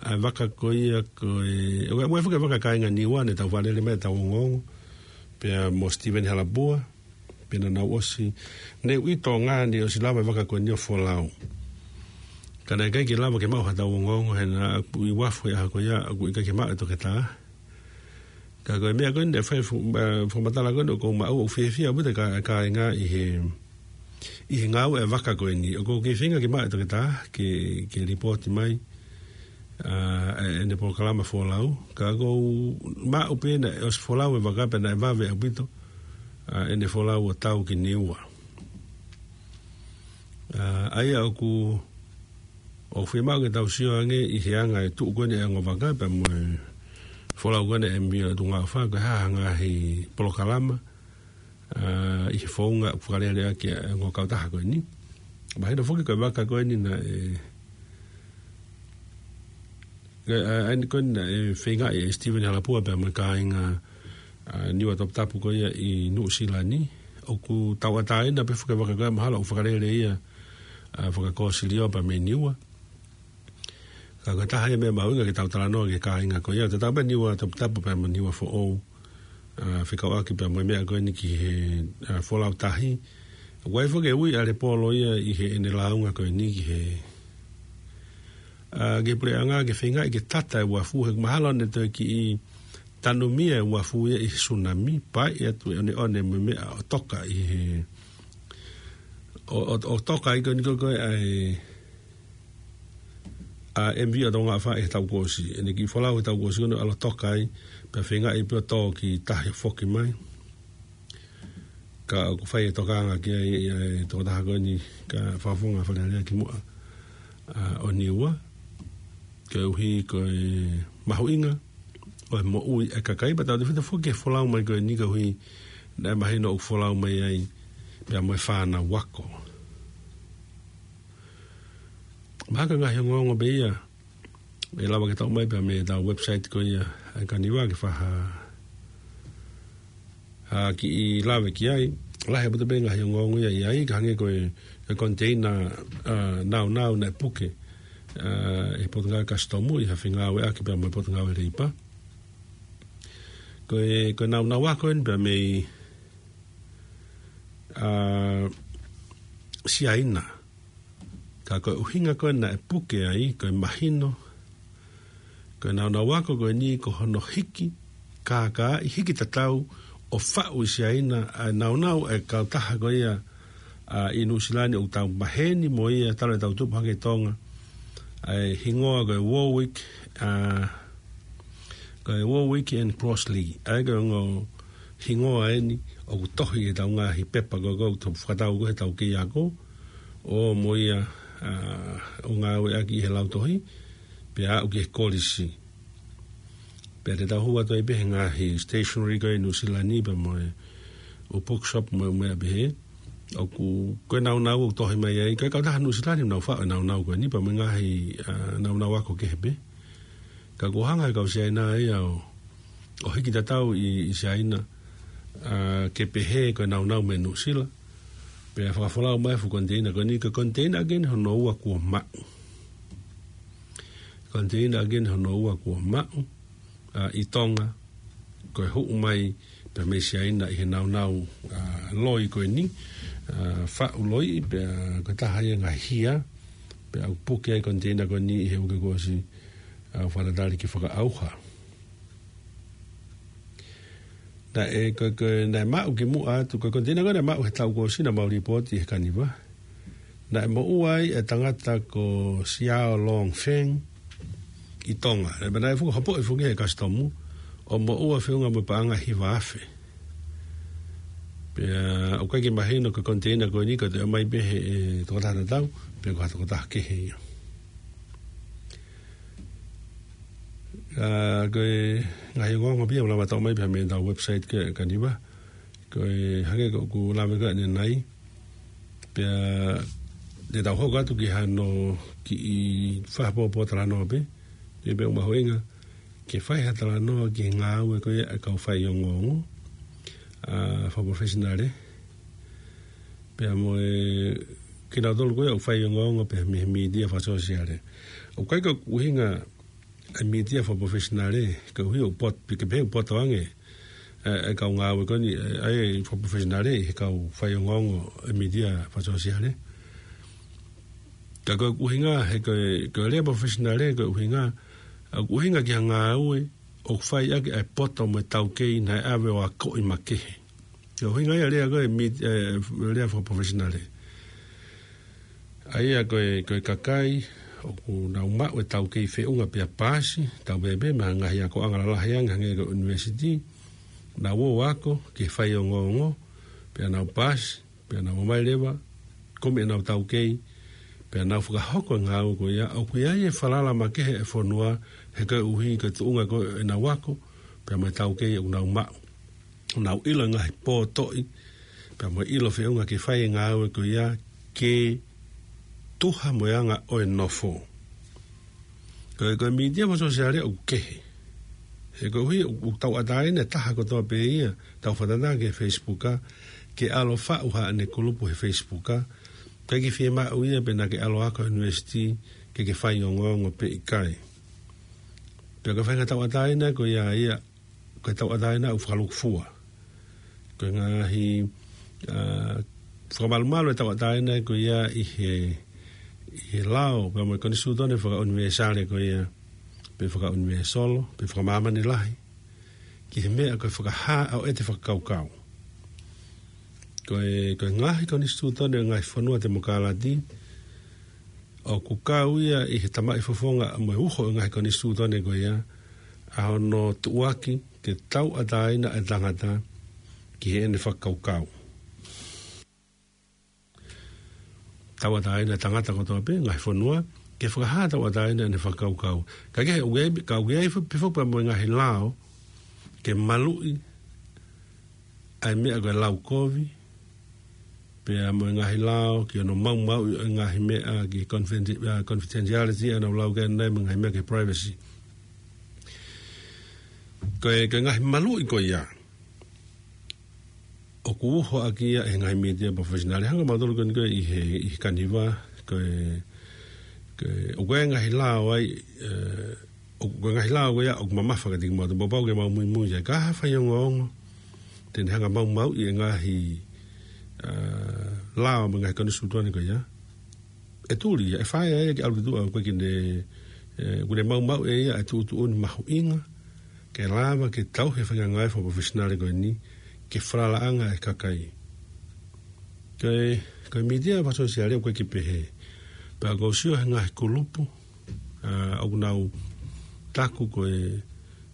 ʻa e vaka ko ia ko e, ʻo e, ʻo e fuʻu vaka kāinga Niua naʻe tau fakalele mai ʻetau ongoongo, pea mo Steven Halapua, pea naʻa nau ʻosi, naʻe ui Tonga ni ʻosi lava e vaka ko eni ʻo folau. Ka naʻe ʻikai ke lava ke maʻu ha tau ongoongo he naʻa ku ʻi uafu he ʻaho ko ia, ʻoku ʻikai ke maʻu e toketā. Ka ko e meʻa ko eni, naʻe fai fu-, ʻa, fakamatala ko eni, ʻoku ou maʻu ʻoku fiefia ʻaupito e kā-, e kāinga ʻi he, ʻi he ngāue e vaka ko eni. ʻOku ou kei feinga ke maʻu e toketā, ke, ke lipooti mai ʻa, e, ʻene polokalama folau, ka ʻoku ou maʻu pē naʻe ʻosi folau e vaka pea naʻe vave ʻaupito, ʻa, ʻene folau ʻo tau ki Niua. ʻA, ʻa ia ʻoku, ʻoku fiemaʻu ke tau sio ange ʻi he anga e tuʻu ko eni e ongo vaka pea mo e folau ko eni e M V ʻo Tonga Fā, ko e hā ha ngaahi polokalama, ʻa, ʻi he founga ʻoku fakalele ʻaki e ongo kautaha ko eni. Mahino foki ko e vaka ko eni naʻe, ʻa, ʻa, ʻa eni ko eni naʻe feingaʻi ʻe Steven Halapua pea mo e kāinga, ʻa, Niua Toputapu ko ia ʻi Nuʻusila ni. ʻOku tauʻatāina pē foki e vaka ko ia mahalo ʻoku fakalele ia, ʻa, fakakōsilio pea mei Niua. Ka ko e taha ia e meʻa mahuʻinga ke tau talanoa ki he kāinga ko ia, tatau pē Niua Toputapu pea mo Niua Foʻou, ʻa, fekauʻaki pea mo e meʻa ko eni ki he, ʻa, folau tahi. Kuo ʻi ai foki e ui ʻa Lepolo ia ʻi heʻene lāunga ko eni ki he, ʻa, ki he puleʻanga ke feingaʻi ke tata e uafu, he mahalo ne toe kiʻi tanumia e uafu ia ʻi he sunami, pea ʻi ai atu e ʻoneʻone mo e meʻa ʻo toka ʻi he, ʻo, ʻo, ʻo toka ai ko eni ko e, ko e, ʻa e, ʻa e M V ʻo Tonga ʻAfā ʻi he taʻu kuo ʻosi. ʻEne kiʻi folau he taʻu kuo ʻosi ko eni ʻalu ʻo toka ai, pea feingaʻi pē ʻo tō ki tahi ʻo foki mai. Ka ʻoku fai e tokanga ki ai ʻa e tokotaha ko eni, ka fakafofonga Fale Alea ki muʻa, ʻa, ʻo Niua, koeʻuhi ko e mahuʻinga ʻo e moʻui e kakai, pea tautefito foki ki he folau mai ko eni koeʻuhi naʻe mahino ʻoku folau mai ai pea mo e fānau ako. Mahalo ko e ngaahi ongoongo pē ia ʻe lava ke tau ʻomai pea mei heʻetau website ko ia ʻa e Kaniva ke fai ha, ha kiʻi lave ki ai. Lahi ʻaupito pē ngaahi ongoongo ia ʻi ai, ka hangē ko e, e container, ʻa, naunau naʻe puke, ʻa, ʻe he Potungāue Kasitomu ʻi ha fengāueʻaki pea mo e Potungāue Leipa. Ko e, ko e naunau ako eni pea mei, ʻa, Siaina. Ka ko e ʻuhinga ko ē naʻe puke ai, ko e mahino, ko e naunau ako ko eni ko hono hiki kākaaʻi, hiki tatau ʻo faʻu ʻi Siaina ʻa e naunau ʻa e kautaha ko ia, ʻa, ʻi Nuʻusila ni ʻoku tau maheni mo ia talu ʻetau tupu hake ʻi Tonga, ʻa e hingoa ko e Warwick, ʻa, ko e Warwick and Crossley. ʻA ia ko e ongo hingoa eni ʻoku tohi ʻi heʻetau ngaahi pepa ko ē ʻoku tau fakatau ko ē heʻetau kei ako, ʻo mo ia, ʻa, ʻo ngāueʻaki ʻi he lautohi, pea aʻu ki he kolisi. Pea te tau hū atu ai pē he ngaahi stationery ko ē ʻi Nuʻusila ni pea mo e ʻū bookshop mo e ʻū meʻa pehē. ʻOku, ko e naunau ʻoku tohi mai ai, ko e kautaha Nuʻusila ni ʻoku nau faʻu e naunau ko eni pea mo e ngaahi, ʻa, naunau ako kehe pē. Ka kuo hanga ʻe he kau Siaina ia ʻo, ʻo hiki tatau ʻi, ʻi Siaina, ʻa, ke pehē ko e naunau mei Nuʻusila. Pea fakafolau mai e fuʻu container ko eni, ko e container ʻaki eni hono ua kuo maʻu. Container ʻaki eni hono ua kuo maʻu, ʻa, ʻi Tonga, ko e huʻu mai pea mei Siaina ʻi he naunau, ʻa, loi ko eni, ʻa, faʻu loi, pea ko e taha ia e ngaahi hia, pea ʻoku puke ai e container ko eni ʻi he uike kuo ʻosi, ʻa, fakatatali ke fakaʻauha. Naʻe, ko, ko, naʻe maʻu ki muʻa atu, ko e container ko ē naʻe maʻu he taʻu kuo ʻosi naʻa mau lipooti he Kaniva. Naʻe moʻua ai e tangata ko Siao Long Feng ʻi Tonga. Naʻe, naʻe fuʻu hopoʻi foki ʻe he Kasitomu, ʻo moʻua feʻunga mo e paʻanga ʻe hiva afe. Pea ʻoku ʻikai ke mahino ko e container ko eni ko e toe ʻomai pē ʻe he, ʻe he tokotaha tatau, pe ko ha tokotaha kehe ia. ʻA, ko e ngaahi ongoongo pē ia ʻoku lava tau ʻomai pē mei heʻetau website ko ē ʻa e Kaniva. Ko e hangē ko ʻeku lave ko ē ʻanenai. Pea te tau hoko atu ki hano kiʻi fakapopo talanoa pē. Te pē ʻoku mahuʻinga ke fai ha talanoa ki he ngāue ko ia ʻa e kau faiongoongo, ʻa, fakaprofessional, ē. Pea mo e kinautolu ko ia ʻoku faiongoongo pē mei he mītia fakasōsiale. ʻOku ʻikai ko e ʻuhinga e mītia fakaprofessional, ē, koeʻuhi ʻoku pot-, pea ke pehē ʻoku poto ange, ʻa e, e kau ngāue ko eni, ʻa e, ʻa e fakaprofessional ʻi he kau faiongoongo e mītia fakasōsiale. Ka ko e ʻuhinga, he ko e, ko e lea professional, ko e ʻuhinga, ʻa, ʻuhinga ki ha ngāue ʻoku fai ʻaki ʻa e poto mo e taukei naʻe ʻave ʻo akoʻi makehe. Ko e ʻuhinga ia e lea ko ē mī-, ʻe, lea fakaprofessional. ʻA ia ko e, ko e kakai ʻoku nau maʻu e taukei feʻunga pea paasi, tau pehē pē mei he ngaahi akoʻanga lalahi ange hangē ko e university, nau ō ʻo ako ki he faiongoongo, pea nau paasi, pea nau ō mai leva, kumi ʻenau taukei, pea nau fakahoko e ngāue ko ia, ʻoku ʻi ai e falala makehe e fonua, he koeʻuhi ko e tuʻunga ko ē ʻenau ako, pea mo e taukei ʻoku nau maʻu. Nau ʻilo e ngaahi pōtoʻi, pea mo e ʻilo feʻunga ke fai e ngāue ko ia ke tuha mo e anga ʻo e nofo. Ko e, ko e mītia fakasōsiale ʻoku kehe. He koeʻuhi ʻoku, ʻoku tauʻatāina e taha kotoa pē ia, tau fakatātā ki he Facebook, ke ʻalu ʻo faʻu haʻane kulupu he Facebook, ʻikai ke fiemaʻu ia pe naʻa ke ʻalu ʻo ako university, ke ke faiongoongo pe ʻikai. Pea ko e faʻahinga tauʻatāina ko ia ia, ko e tauʻatāina ʻoku fakalūkufua. Ko e ngaahi, ā, fakamalumalu e tauʻatāina ko ia ʻi he, ʻi he lao, pea mo e konisitūtone fakaʻunivēsale ko ia, pe fakaʻunivēsolo, pe fakamāmani lahi, ki he meʻa ko e fakahā ʻo ʻete fakakaukau. Ko e, ko e ngaahi konisitūtone ʻo e ngaahi fonua temokalati, ʻoku kau ia ʻi he tamaʻi fofonga mo e uho ʻo e ngaahi konisitūtone ko ia, ʻa hono tuʻuaki ke tauʻatāina e tangata ki heʻene fakakaukau. Tauʻatāina e tangata kotoa pē, ngaahi fonua, ke fakahā tauʻatāina ʻene fakakaukau. Ka ke, ʻoku ʻi ai, ka ʻoku ʻi ai fo-, pe foki pea mo e ngaahi lao, ke maluʻi ʻa e meʻa ko e lau kovi, pea mo e ngaahi lao, ki hono maumauʻi ʻo e ngaahi meʻa, ki confiden-, ā, confidentiality, ʻa ʻenau lau ki ai ʻanenai mo e ngaahi meʻa ki privacy. Ko e, ko e ngaahi maluʻi ko ia, ʻoku uho ʻaki ia ʻe he ngaahi mītia professional. Hanga mautolu ko eni ko ē ʻi he, ʻi he kaniva, ko e, ko e, ʻoku ʻi ai e ngaahi lao ai, ē, ʻoku, ko e ngaahi lao ko ia ʻoku mamafa kiate kimautolu, pau pau ke mau muimui ai. Ka ha faiongoongo te ne hanga maumauʻi e ngaahi, ā, lao mo e ngaahi konisitūtone ko ia, ʻe tuli ia, ʻe fai ia ke ʻalu ki tuʻa, ʻoku ʻikai ke ne, ē, ʻoku ne maumauʻi ʻe ia e tuʻutuʻuni mahuʻinga ke lava ke tauhi e faʻahinga ngāue fakaprofessional ko eni, ke falalaʻanga e kakai. Ko e, ko e mītia fakasōsiale ʻoku ʻikai ke pehē. Pea ʻoku ou sio he ngaahi kulupu, ā, ʻoku nau taku ko e,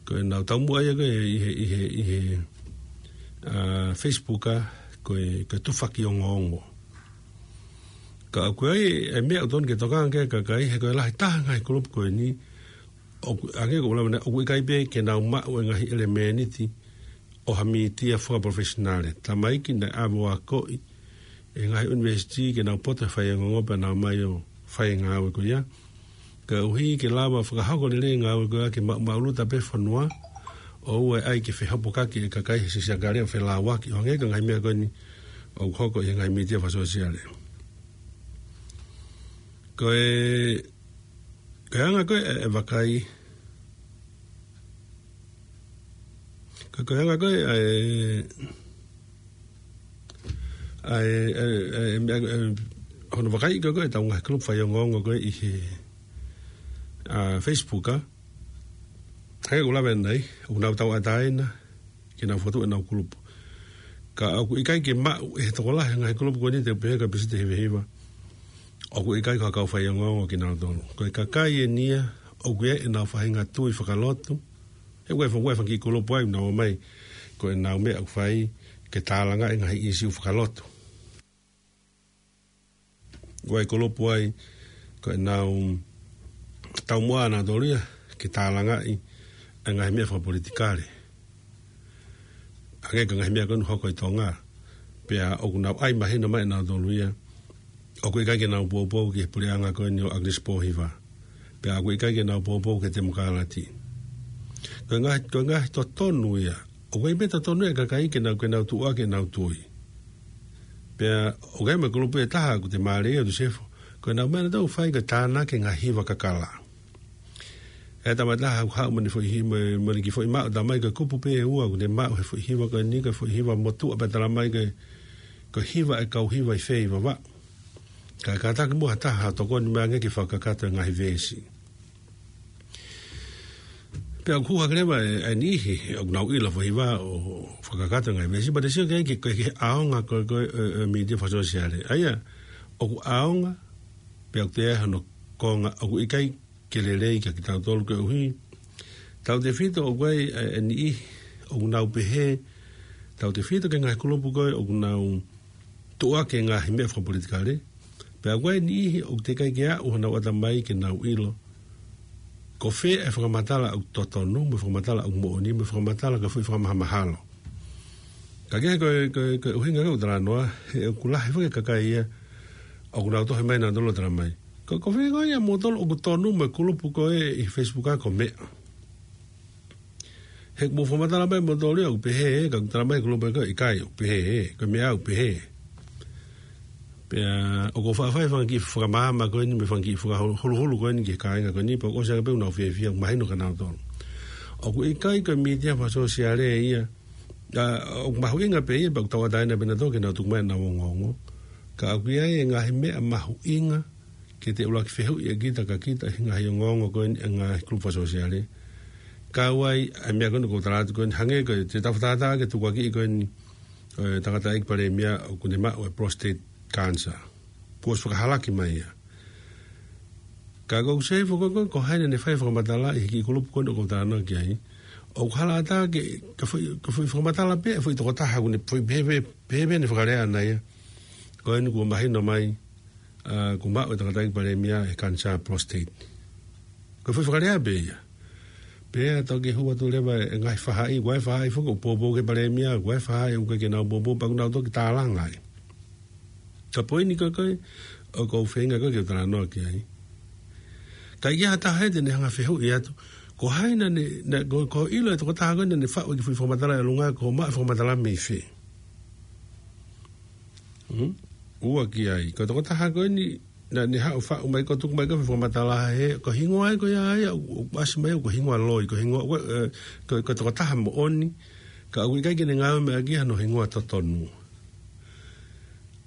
ko ʻenau taumuʻa ia ko ē ʻi he, ʻi he, ʻi he, ā, Facebook, ā, ko e, ko e tufaki ongoongo. Ka ʻoku ʻi ai e meʻa ʻoku totonu ke tokanga ki ai e kakai, he ko e lahi taha e ngaahi kulupu ko eni, ʻoku, hangē ko ʻeku lave ʻanenai, ʻoku ʻikai pē ke nau maʻu e ngaahi ʻelemēniti ʻo ha mītia fakaprofesionale. Tamaiki naʻe ʻave ʻo akoʻi ʻe he ngaahi ʻunivēsiti ke nau poto he faiongoongo pea nau ō mai ʻo fai e ngāue ko ia. Koeʻuhi ke lava fakahoko lelei e ngāue ko ia ke maʻumaʻuluta pē fonua, ʻoua ʻe ʻai ke fehopokaki e kakai he siasi ʻakale ʻo felāuaki, ʻo hangē ko e ngaahi meʻa ko eni ʻoku hoko ʻi he ngaahi mītia fakasōsiale. Ko e, ko e anga ko ē e, e vakai, ko, ko e anga ko ē e, ʻa e, ʻa e, ʻa e, ʻa e, ʻa e, hono vakai ko ē ʻetau ngaahi kulupu faiongoongo ko ē ʻi he, ā, Facebook, ā. Hangē ko ʻeku lave ʻanenai, ʻoku nau tauʻatāina ke nau fokotuʻu ʻenau kulupu. Ka ʻoku ʻikai ke maʻu ʻe he tokolahi e ngaahi kulupu ko eni, te u pehē ko e peseti hivahiva, ʻoku ʻikai ko ha kau faiongoongo kinautolu. Ko e kakai eni ia ʻoku ʻi ai ʻenau faʻahinga tui fakalotu, he ʻoku ʻi ai e fanga, ʻoku ʻi ai e fanga kiʻi kulupu ai ʻoku nau ō mai ko ʻenau meʻa ʻoku fai ke tālangaʻi e ngaahi ʻīsiu fakalotu. ʻOku ʻi ai e kulupu ai ko ʻenau taumuʻa ʻanautolu ia ke tālangaʻi e ngaahi meʻa fakapolitikale, hangē ko e ngaahi meʻa ko eni ʻoku hoko ʻi Tonga. Pea ʻoku nau ʻai mahino mai ʻe nautolu ia ʻoku ʻikai ke nau poupou ki he puleʻanga ko eni ʻo ʻAkilisi Pōhiva. Pea ʻoku ʻikai ke nau poupou ki he temokalati. Ko e ngaahi, ko e ngaahi totonu ia. ʻOku ʻi ai pē totonu e kakai ke nau, ke nau tuʻuaki ʻenau tui. Pea ʻoku ʻi ai mo e kulupu ʻe taha ʻoku te mālieʻia atu Sefo, ko ʻenau meʻa ʻanautolu ʻoku fai ko e tānaki e ngaahi hiva kakala. ʻE tama ʻe taha ʻoku haʻu mo ʻene foʻi hi-, mo, mo ʻene kiʻi foʻi maʻu, talamai ko e kupu pē ʻe ua ʻoku ne maʻu he foʻi hiva ko eni, ko e foʻi hiva motuʻa, pea talamai ko e, ko e hiva e kau hiva ʻi fē ʻi Vavaʻu. Ka, kātaki muʻa ha taha ʻo tokoni mai ange ke fakakakato e ngaahi veesi. Pea ʻoku hake leva e, e niʻihi ʻoku nau ʻilo e foʻi hiva ʻo fakakakato e ngaahi veesi, pea te sio ki ai ki he, ki he ʻaonga ko ē, ko ē, e, e mītia fakasōsiale. ʻA ia, ʻoku ʻaonga, pea ʻoku toe ʻi ai hono konga, ʻoku ʻikai ke lelei kiate kitautolu koeʻuhi, tautefito ʻoku ʻi ai e, e niʻihi ʻoku nau pehē, tautefito ki he ngaahi kulupu ko ē ʻoku nau tuʻuaki e ngaahi meʻa fakapolitikale, pea ʻoku ʻi ai e niʻihi ʻoku teʻeki ai ke aʻu honau ʻatamai ke nau ʻilo ko fē e fakamatala ʻoku totonu, mo e fakamatala ʻoku moʻoni, mo e fakamatala ko e foʻi fakamahamahalo. Ka ko e, ko e, ko e, ko e ʻuhinga ko ē ʻoku ou talanoa, he ʻoku lahi foki e kakai ia ʻoku nau tohi mai nautolu ʻo talamai, ko, ko fē koā ʻia moutolu ʻoku tonu mo e kulupu ko ē ʻi he Facebook ko e meʻa. He ʻoku mou fakamatala mai moutolu ia ʻoku pehē ē, ka ʻoku talamai ʻe he kulupu ko ē ʻikai, ʻoku pehē ē, ko e meʻa ʻoku pehē. Pea ʻoku ou faʻa fai e fanga kiʻi fakamaama ko eni mo e fanga kiʻi fakahuluhulu ko eni ki he kāinga ko eni, pea ʻoku ʻosi ange pē ʻenau fiefia, mahino kia nautolu. ʻOku ʻikai ko e mītia fakasōsiale ia, ʻa, ʻoku mahuʻinga pē ia, pea ʻoku tauʻatāina pē nautolu ke nau tuku mai ʻenau ongoongo. Ka ʻoku ʻi ai e ngaahi meʻa mahuʻinga ke te ʻuluaki fehuʻi ʻe kita kia kita ʻi he ngaahi ongoongo ko eni ʻa e ngaahi kulupu fakasōsiale. Kau ai ʻa e meʻa ko eni ʻoku ou tala atu ko eni, hangē ko e, te tau fakatātā ki he tukuakiʻi ko eni ʻo e tangataʻeiki palēmia ʻoku ne maʻu e prostate cancer. Kuo ʻosi fakahalaki mai ia. Ka ʻoku ou sio hifo ko e, ko e, ko hai naʻa ne fai e fakamatala ʻi he kiʻi kulupu ko eni ʻoku ou talanoa ki ai. ʻOku hala ʻatā ke, ka foʻi, ka foʻi fakamatala pē, foʻi tokotaha ʻoku ne foʻi pehē, pehē, pehē ne fakalea ʻana ia. Ko eni kuo mahino mai, ʻa, kuo maʻu e tangataʻeiki palēmia e cancer prostate. Ko e foʻi fakalea pē ia. Pea toki hū atu leva e ngaahi faʻahi, ʻoku ʻi ai e faʻahi foki ʻoku poupou ki he palēmia, ʻoku ʻi ai e faʻahi ʻoku ʻikai ke nau poupou, pea ʻoku nau toki tālanga ai. Ka ko eni ko e, ko e, ʻoku ou feinga ko e ke u talanoa ki ai. Ka ʻi ai ha taha ia te ne hanga fehuʻi atu, ko hai naʻa ne, naʻa, ko, ko e ʻilo e tokotaha ko ē naʻa ne faʻu e kiʻi foʻi fakamatala ʻi ʻolunga, kuo maʻu e fakamatala mei fē. Hmm? Ua ki ai. Ko e tokotaha ko eni, naʻa ne haʻu ʻo faʻu mai ko e tuku mai ko e foʻi fakamatala he, ko e hingoa ia ko ia ia, ʻo, ʻo ʻasi mai ko e hingoa loi, ko e hingoa, ko e, ē, ko e, ko e tokotaha moʻoni, ka ʻoku ʻikai ke ne ngāueʻaki hano hingoa totonu.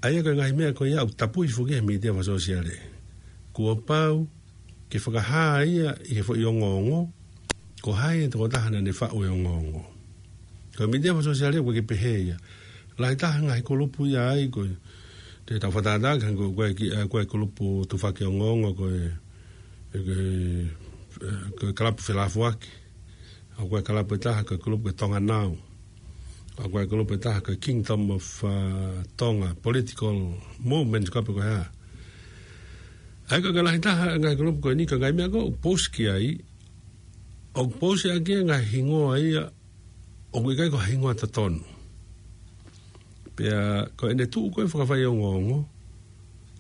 ʻA ia ko e ngaahi meʻa ko ia ʻoku tapui foki he mītia fakasōsiale. Kuo pau ke fakahā ia ʻi he foʻi ongoongo, ko hai e tokotaha naʻa ne faʻu e ongoongo. Ko e mītia fakasōsiale ʻoku ʻikai ke pehē ia. Lahi taha e ngaahi kulupu ia ai ko e, te tau fakatātā ki he ko e, ko e ki-, ʻa, ko e kulupu tufaki ongoongo ko e, e, ko e, ē, ko e kalapu felafoaki. ʻA, ko e kalapu ʻe taha ko e kulupu ko e Tonga Now. ʻA, ko e kulupu ʻe taha ko e Kingdom of, ʻa, Tonga, Political Movement, ko e pē ko e hā. ʻA ia ko e lahi taha e ngaahi kulupu ko eni, ko e ngaahi meʻa ko ē ʻoku post ki ai, ʻoku post ʻaki e ngaahi hingoa ia ʻoku ʻikai ko e hingoa totonu. Pea ko ʻene tuʻu ko e fakafaiongoongo,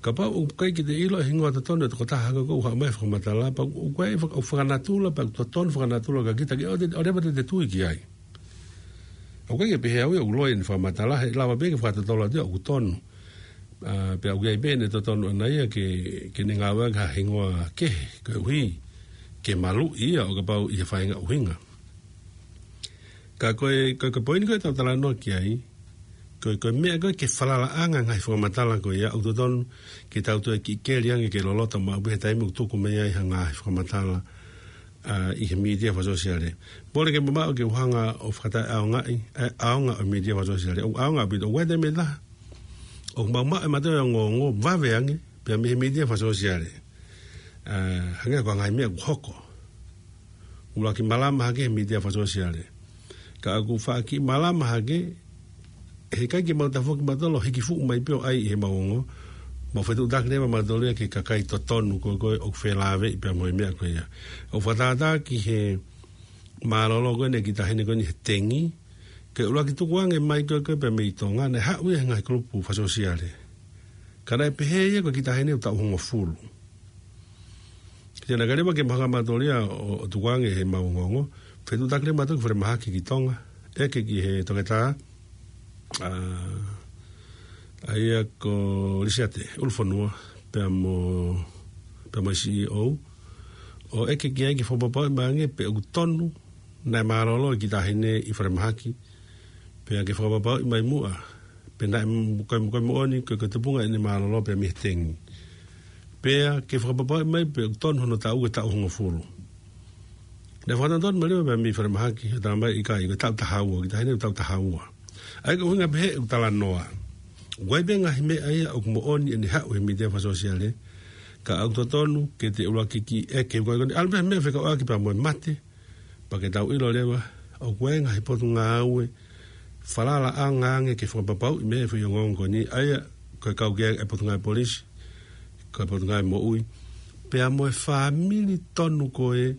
kapau ʻoku ʻikai ke te ʻilo e hingoa totonu e tokotaha ko ē ʻoku haʻu mai e fakamatala, pea ʻoku ʻikai faka-, ʻoku fakanatula, pea ʻoku totonu fakanatula kia kita ke ʻoua te, ʻoua leva te te tui ki ai. ʻOku ʻikai ke pehē au ia ʻoku loi ʻene fakamatala, he ʻe lava pē ke fakatotolo atu ia ʻoku tonu. ʻA, pea ʻoku ʻi ai pē ʻene totonu ʻana ia ke, ke ne ngāueʻaki ha hingoa kehe, koeʻuhi ke maluʻi ia ʻo kapau ʻe fai ha ʻuhinga. Ka ko e, ko e, ko e poini ko ē ʻoku tau talanoa ki ai, ko e, ko e meʻa ko ē ke falalaʻanga e ngaahi fakamatala ko ia, ʻoku totonu ke tau toe kiʻi keli ange ke loloto maʻu pē he taimi ʻoku tuku mai ai ha ngaahi fakamatala, ʻa, ʻi he mītia fakasōsiale. Mole ke mamaʻo ke u hanga ʻo fakataʻeʻaongaʻi, ʻa e ʻaonga ʻo e mītia fakasōsiale. ʻOku ʻaonga ʻaupito, ʻoku ʻi ai e taimi ʻe taha ʻoku mau maʻu ʻe mautolu e ongoongo vave ange, pea mei he mītia fakasōsiale. ʻA, hangē ko e ngaahi meʻa ʻoku hoko. ʻUluaki malama hake he mītia fakasōsiale. Ka ʻoku faʻa kiʻi malama hake, heʻikai ke mau tafoki mautolu ʻo hiki fuʻu mai pē ʻo ʻai ʻi heʻemau ongo. Mau fetuʻutaki leva mautolu ia ki he kakai totonu ko ē, ko ē ʻoku felāveʻi pea mo e meʻa ko ia. ʻOku fakatātā ki he mālōlō ko eni e kiʻi taʻahine ko eni he tengi, ke ʻuluaki tukuange mai ko ē, ko ē pea mei Tonga, naʻe haʻu ia he ngaahi kulupu fakasōsiale. Ka naʻe pehē ia ko e kiʻi taʻahine ʻoku taʻu hongofulu. Ke te naka leva ke mahanga mautolu ia ʻo, ʻo tukuange heʻemau ongoongo. Fetuʻutaki leva mautolu ki falemahaki ki Tonga. ʻEke ki he toketā, ʻa, ʻa ia ko Lisiate ʻUlufonua, pea mo, pea mo e C E O. ʻO ʻeke ki ai ke fakapapauʻi mai ange pe ʻoku tonu naʻe mālōlō e kiʻi taʻahine ʻi falemahaki. Pea ke fakapapauʻi mai muʻa pe naʻe m-, ko e, ko e moʻoni, ko e, ko e tupunga ʻene mālōlō pea mei he tengi. Pea ke fakapapauʻi mai pe ʻoku tonu hono taʻu, ko e taʻu hongofulu. Naʻe fakatonutonu mai leva pea mei falemahaki, ʻo talamai ʻikai, ko e taʻu taha ua, kiʻi taʻahine taʻu taha ua. ʻA ia ko e ʻuhinga pehē ʻeku talanoa. ʻOku ʻi ai pē ngaahi meʻa ia ʻoku moʻoni ʻene haʻu he mītia fakasōsiale, ka ʻoku totonu ke te ʻuluaki kiʻi ʻeke, ko e, ko e, ʻalu pē meʻa fekauʻaki pea mo e mate, pea ke tau ʻilo leva, ʻoku ʻi ai e ngaahi potungāue falalaʻanga ange ke fakapapauʻi mai e foʻi ongoongo ko eni, ʻa ia ko e kau ki ai e Potungāue Polisi, ko e Potungāue Moʻui, pea mo e fāmili tonu ko ē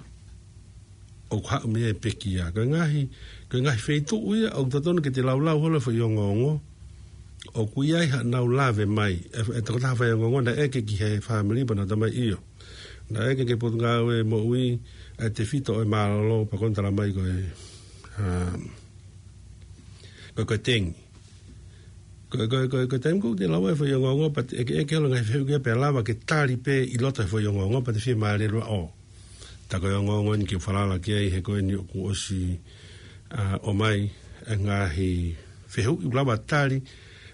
ʻoku haʻu mei ai e pekia. Ko e ngaahi, ko e ngaahi feituʻu ia ʻoku totonu ke te laulau holo e foʻi ongoongo, ʻoku ʻi ai haʻanau lave mai. E, e tokotaha fai ongoongo naʻe ʻeke ki he fāmili pea nau talamai ʻio. Naʻe ʻeke ki he Potungāue Moʻui ʻa e tefito ʻo e mālōlō pea ko eni talamai ko e, ʻa, ko e, ko e tengi. Ko e, ko e, ko e, ko e taimi ko ē te lava e foʻi ongoongo, pea te ʻeke, ʻeke holo e ngaahi fehuʻi ki ai pea lava ke tali pē ʻi loto he foʻi ongoongo, pea te fiemālie loa ʻo. Tā ko e ongoongo eni ke falala ki ai he ko eni ʻoku ʻosi, ʻa, ʻomai e ngaahi fehuʻi ʻoku lava tali,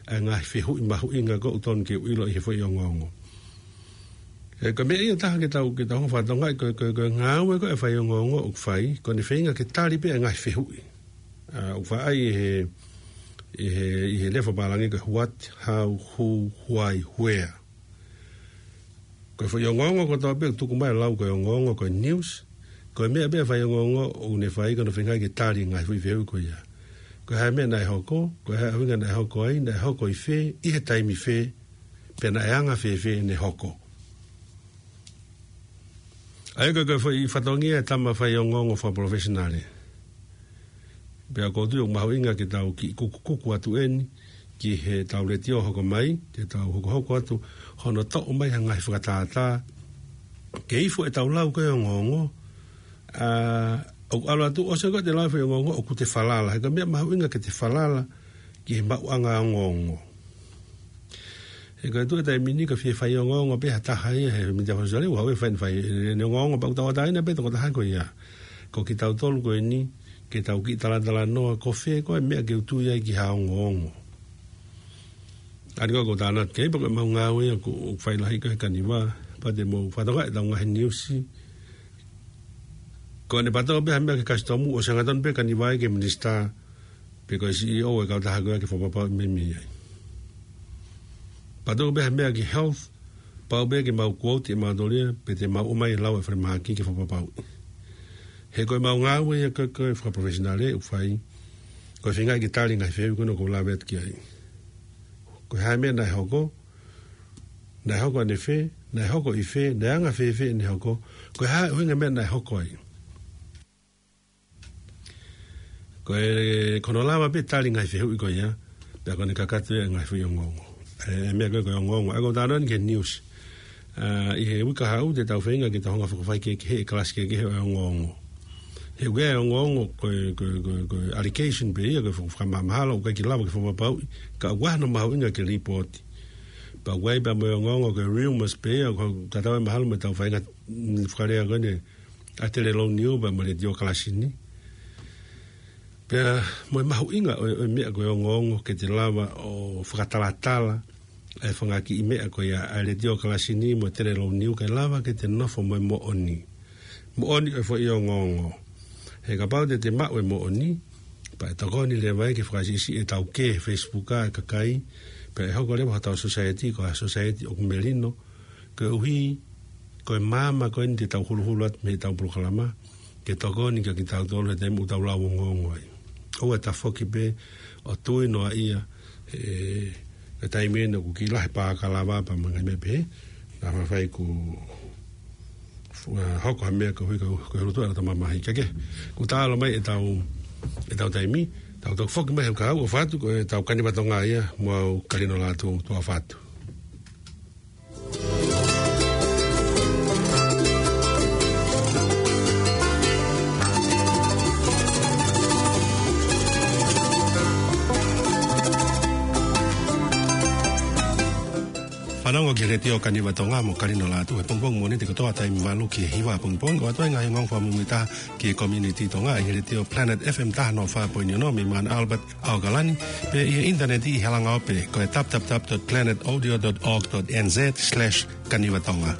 e ngaahi fehuʻi mahuʻinga ko ē ʻoku totonu ke ʻilo ʻi he foʻi ongoongo. He ko e meʻa ia ʻe taha ke tau, ke tau hanga ʻo fakatokangaʻi ko e, ko e, ko e ngāue ko ē ʻa e foʻi ongoongo ʻoku fai, ko ʻene feinga ke tali pē e ngaahi fehuʻi. ʻA, ʻoku faʻa ʻi he, ʻi he, ʻi he lea fakapālangi ko e what, how, who, why, where. Ko e foʻi ongoongo kotoa pē ʻoku tuku mai ʻo lau ko e ongoongo ko e news. Ko e meʻa pē ʻa e foʻi ongoongo ʻoku ne fai ko ʻene feinga ke tali e ngaahi foʻi fehuʻi ko ia. Ko e hā e meʻa naʻe hoko, ko e hā e ʻuhinga naʻe hoko ai, naʻe hoko ʻi fē, ʻi he taimi fē, pea naʻe anga fēfē ʻene hoko. ʻA ia ko e, ko e foʻi fatongia e tama foʻi ongoongo fakapalofesinale. Pea ʻoku ou tui ʻoku mahuʻinga ke tau kiʻi kukukuku atu eni ki heʻetau letiō hoko mai, ke tau hokohoko atu hono toʻo mai ha ngaahi fakatātā. Ke ifo ʻetau lau ko ē ongoongo, ʻa, ʻoku ʻalu atu ʻosi ko ē te lau e foʻi ongoongo ʻoku te falala. He ko e meʻa mahuʻinga ke te falala ki he maʻuʻanga ongoongo. He ko e tuʻu e taimi ni ko e fie foʻi ongoongo pē ha taha ia he mita fosale, ʻoku haʻu ʻo fai, fai ʻene ongoongo pea ʻoku tauʻatāina pē tokotaha ko ia. Ko kitautolu ko eni, ke tau kiʻi talatalanoa ko fē ko ē meʻa ke u tui ai ki ha ongoongo. ʻA ia ko e tānaki pē ko e maʻu ngāue ia ʻoku fai lahi ko ē he Kaniva, pea te mou fakatokangaʻi ʻetau ngaahi niusi. Ko ʻene patoa pē ha meʻa ki he kasitomu ʻosi hanga tonu pē Kaniva ia ki he minisitā, pe ko e C E O e kautaha ko ia ke fakapapauʻi meimei ai. Patoa pē ha meʻa ki he health, pau pē ke mau quote ʻe mautolu ia, pe te mau ʻomai e lau e falemahaki ke fakapapauʻi. He ko e maʻu ngāue ia ko e, ko e fakaprofesinale ʻoku fai, ko e feinga ke tali e ngaahi fehuʻi ko ena ʻoku ou lave atu ki ai. Ko e hā e meʻa naʻe hoko, naʻe hoko ʻanefē, naʻe hoko ʻi fē, naʻe anga fēfē ʻene hoko, ko e hā e ʻuhinga e meʻa naʻe hoko ai. Ko e, ko hono lava pē tali e ngaahi fehuʻi ko ia, pea ko ʻene kakato e ngaahi foʻi ongoongo. E, e meʻa ko ē ko e ongoongo. ʻA ia ko e talanoa eni ki he niusi. ʻA, ʻi he uike kahaʻu te tau feinga ke tau hanga ʻo fakafaikehekeheʻi e kalasi kehekehe ʻo e ongoongo. He ʻoku ʻi ai e ongoongo ko e, ko e, ko e, ko e allegation pē ia, ko e faka-, fakamahamahalo, ʻoku ʻikai ke lava ke fakapapauʻi, ka ʻoku ʻi ai hono mahuʻinga ke lipooti. Pea ʻoku ʻi ai pē mo e ongoongo ko e rumors pē ia, ʻoku tatau ai mahalo mo ʻetau faʻahinga, mm, fakalea ko eni ʻa e telelou niu pea mo e letiō kalasi ni. Pea mo e mahuʻinga ʻo e, ʻo e meʻa ko e ongoongo ke te lava ʻo fakatalatala e fanga kiʻi meʻa ko ia ʻa e letiō kalasi ni mo e telelou niu kae lava ke te nofo mo e moʻoni. Moʻoni ʻo e foʻi ongoongo. He kapau te te maʻu e moʻoni, pea ʻe tokoni leva ia ke fakasiʻisiʻi e taukē he Facebook ʻa e kakai, pea ʻe hoko leva hotau society ko ha society ʻoku melino, koeʻuhi ko e maama ko eni te tau huluhulu atu mei heʻetau polokalama, ke tokoni kia kitautolu he taimi ʻoku tau lau ongoongo ai. ʻOua ʻe tafoki pē ʻo tui noa ia, e, e taimi eni ʻoku kiʻi lahi e pā kalava pea mo e ngaahi meʻa pehē, naʻa faifai ku, fu-, ʻa, hoko ha meʻa koeʻuhi ko, ko e hulutuʻa ʻa e tama mahi keke. Kuo tā ʻalu mai ʻetau, ʻetau taimi, tau toki foki mai he uike kahaʻu ʻo ʻofa atu, ko ʻetau Kaniva Tonga ia, mo au Kalino Lātū, tau ʻofa atu. Fanongo ki he Letiō Kaniva Tonga mo Kalino Lātū he pongipongi Mōnite kotoa taimi valu ki he hiva pongipongi, ʻo ʻoatu ai e ngaahi ongoongo fakamuimuitaha ki he community Tonga ʻi he Letiō Planet F M taha noa fā poini ono mei Mount Albert, ʻAokalani, pea ʻi he ʻinitaneti ʻi he langa ope ko e w w w dot planet audio dot org dot n z slash kanivatonga.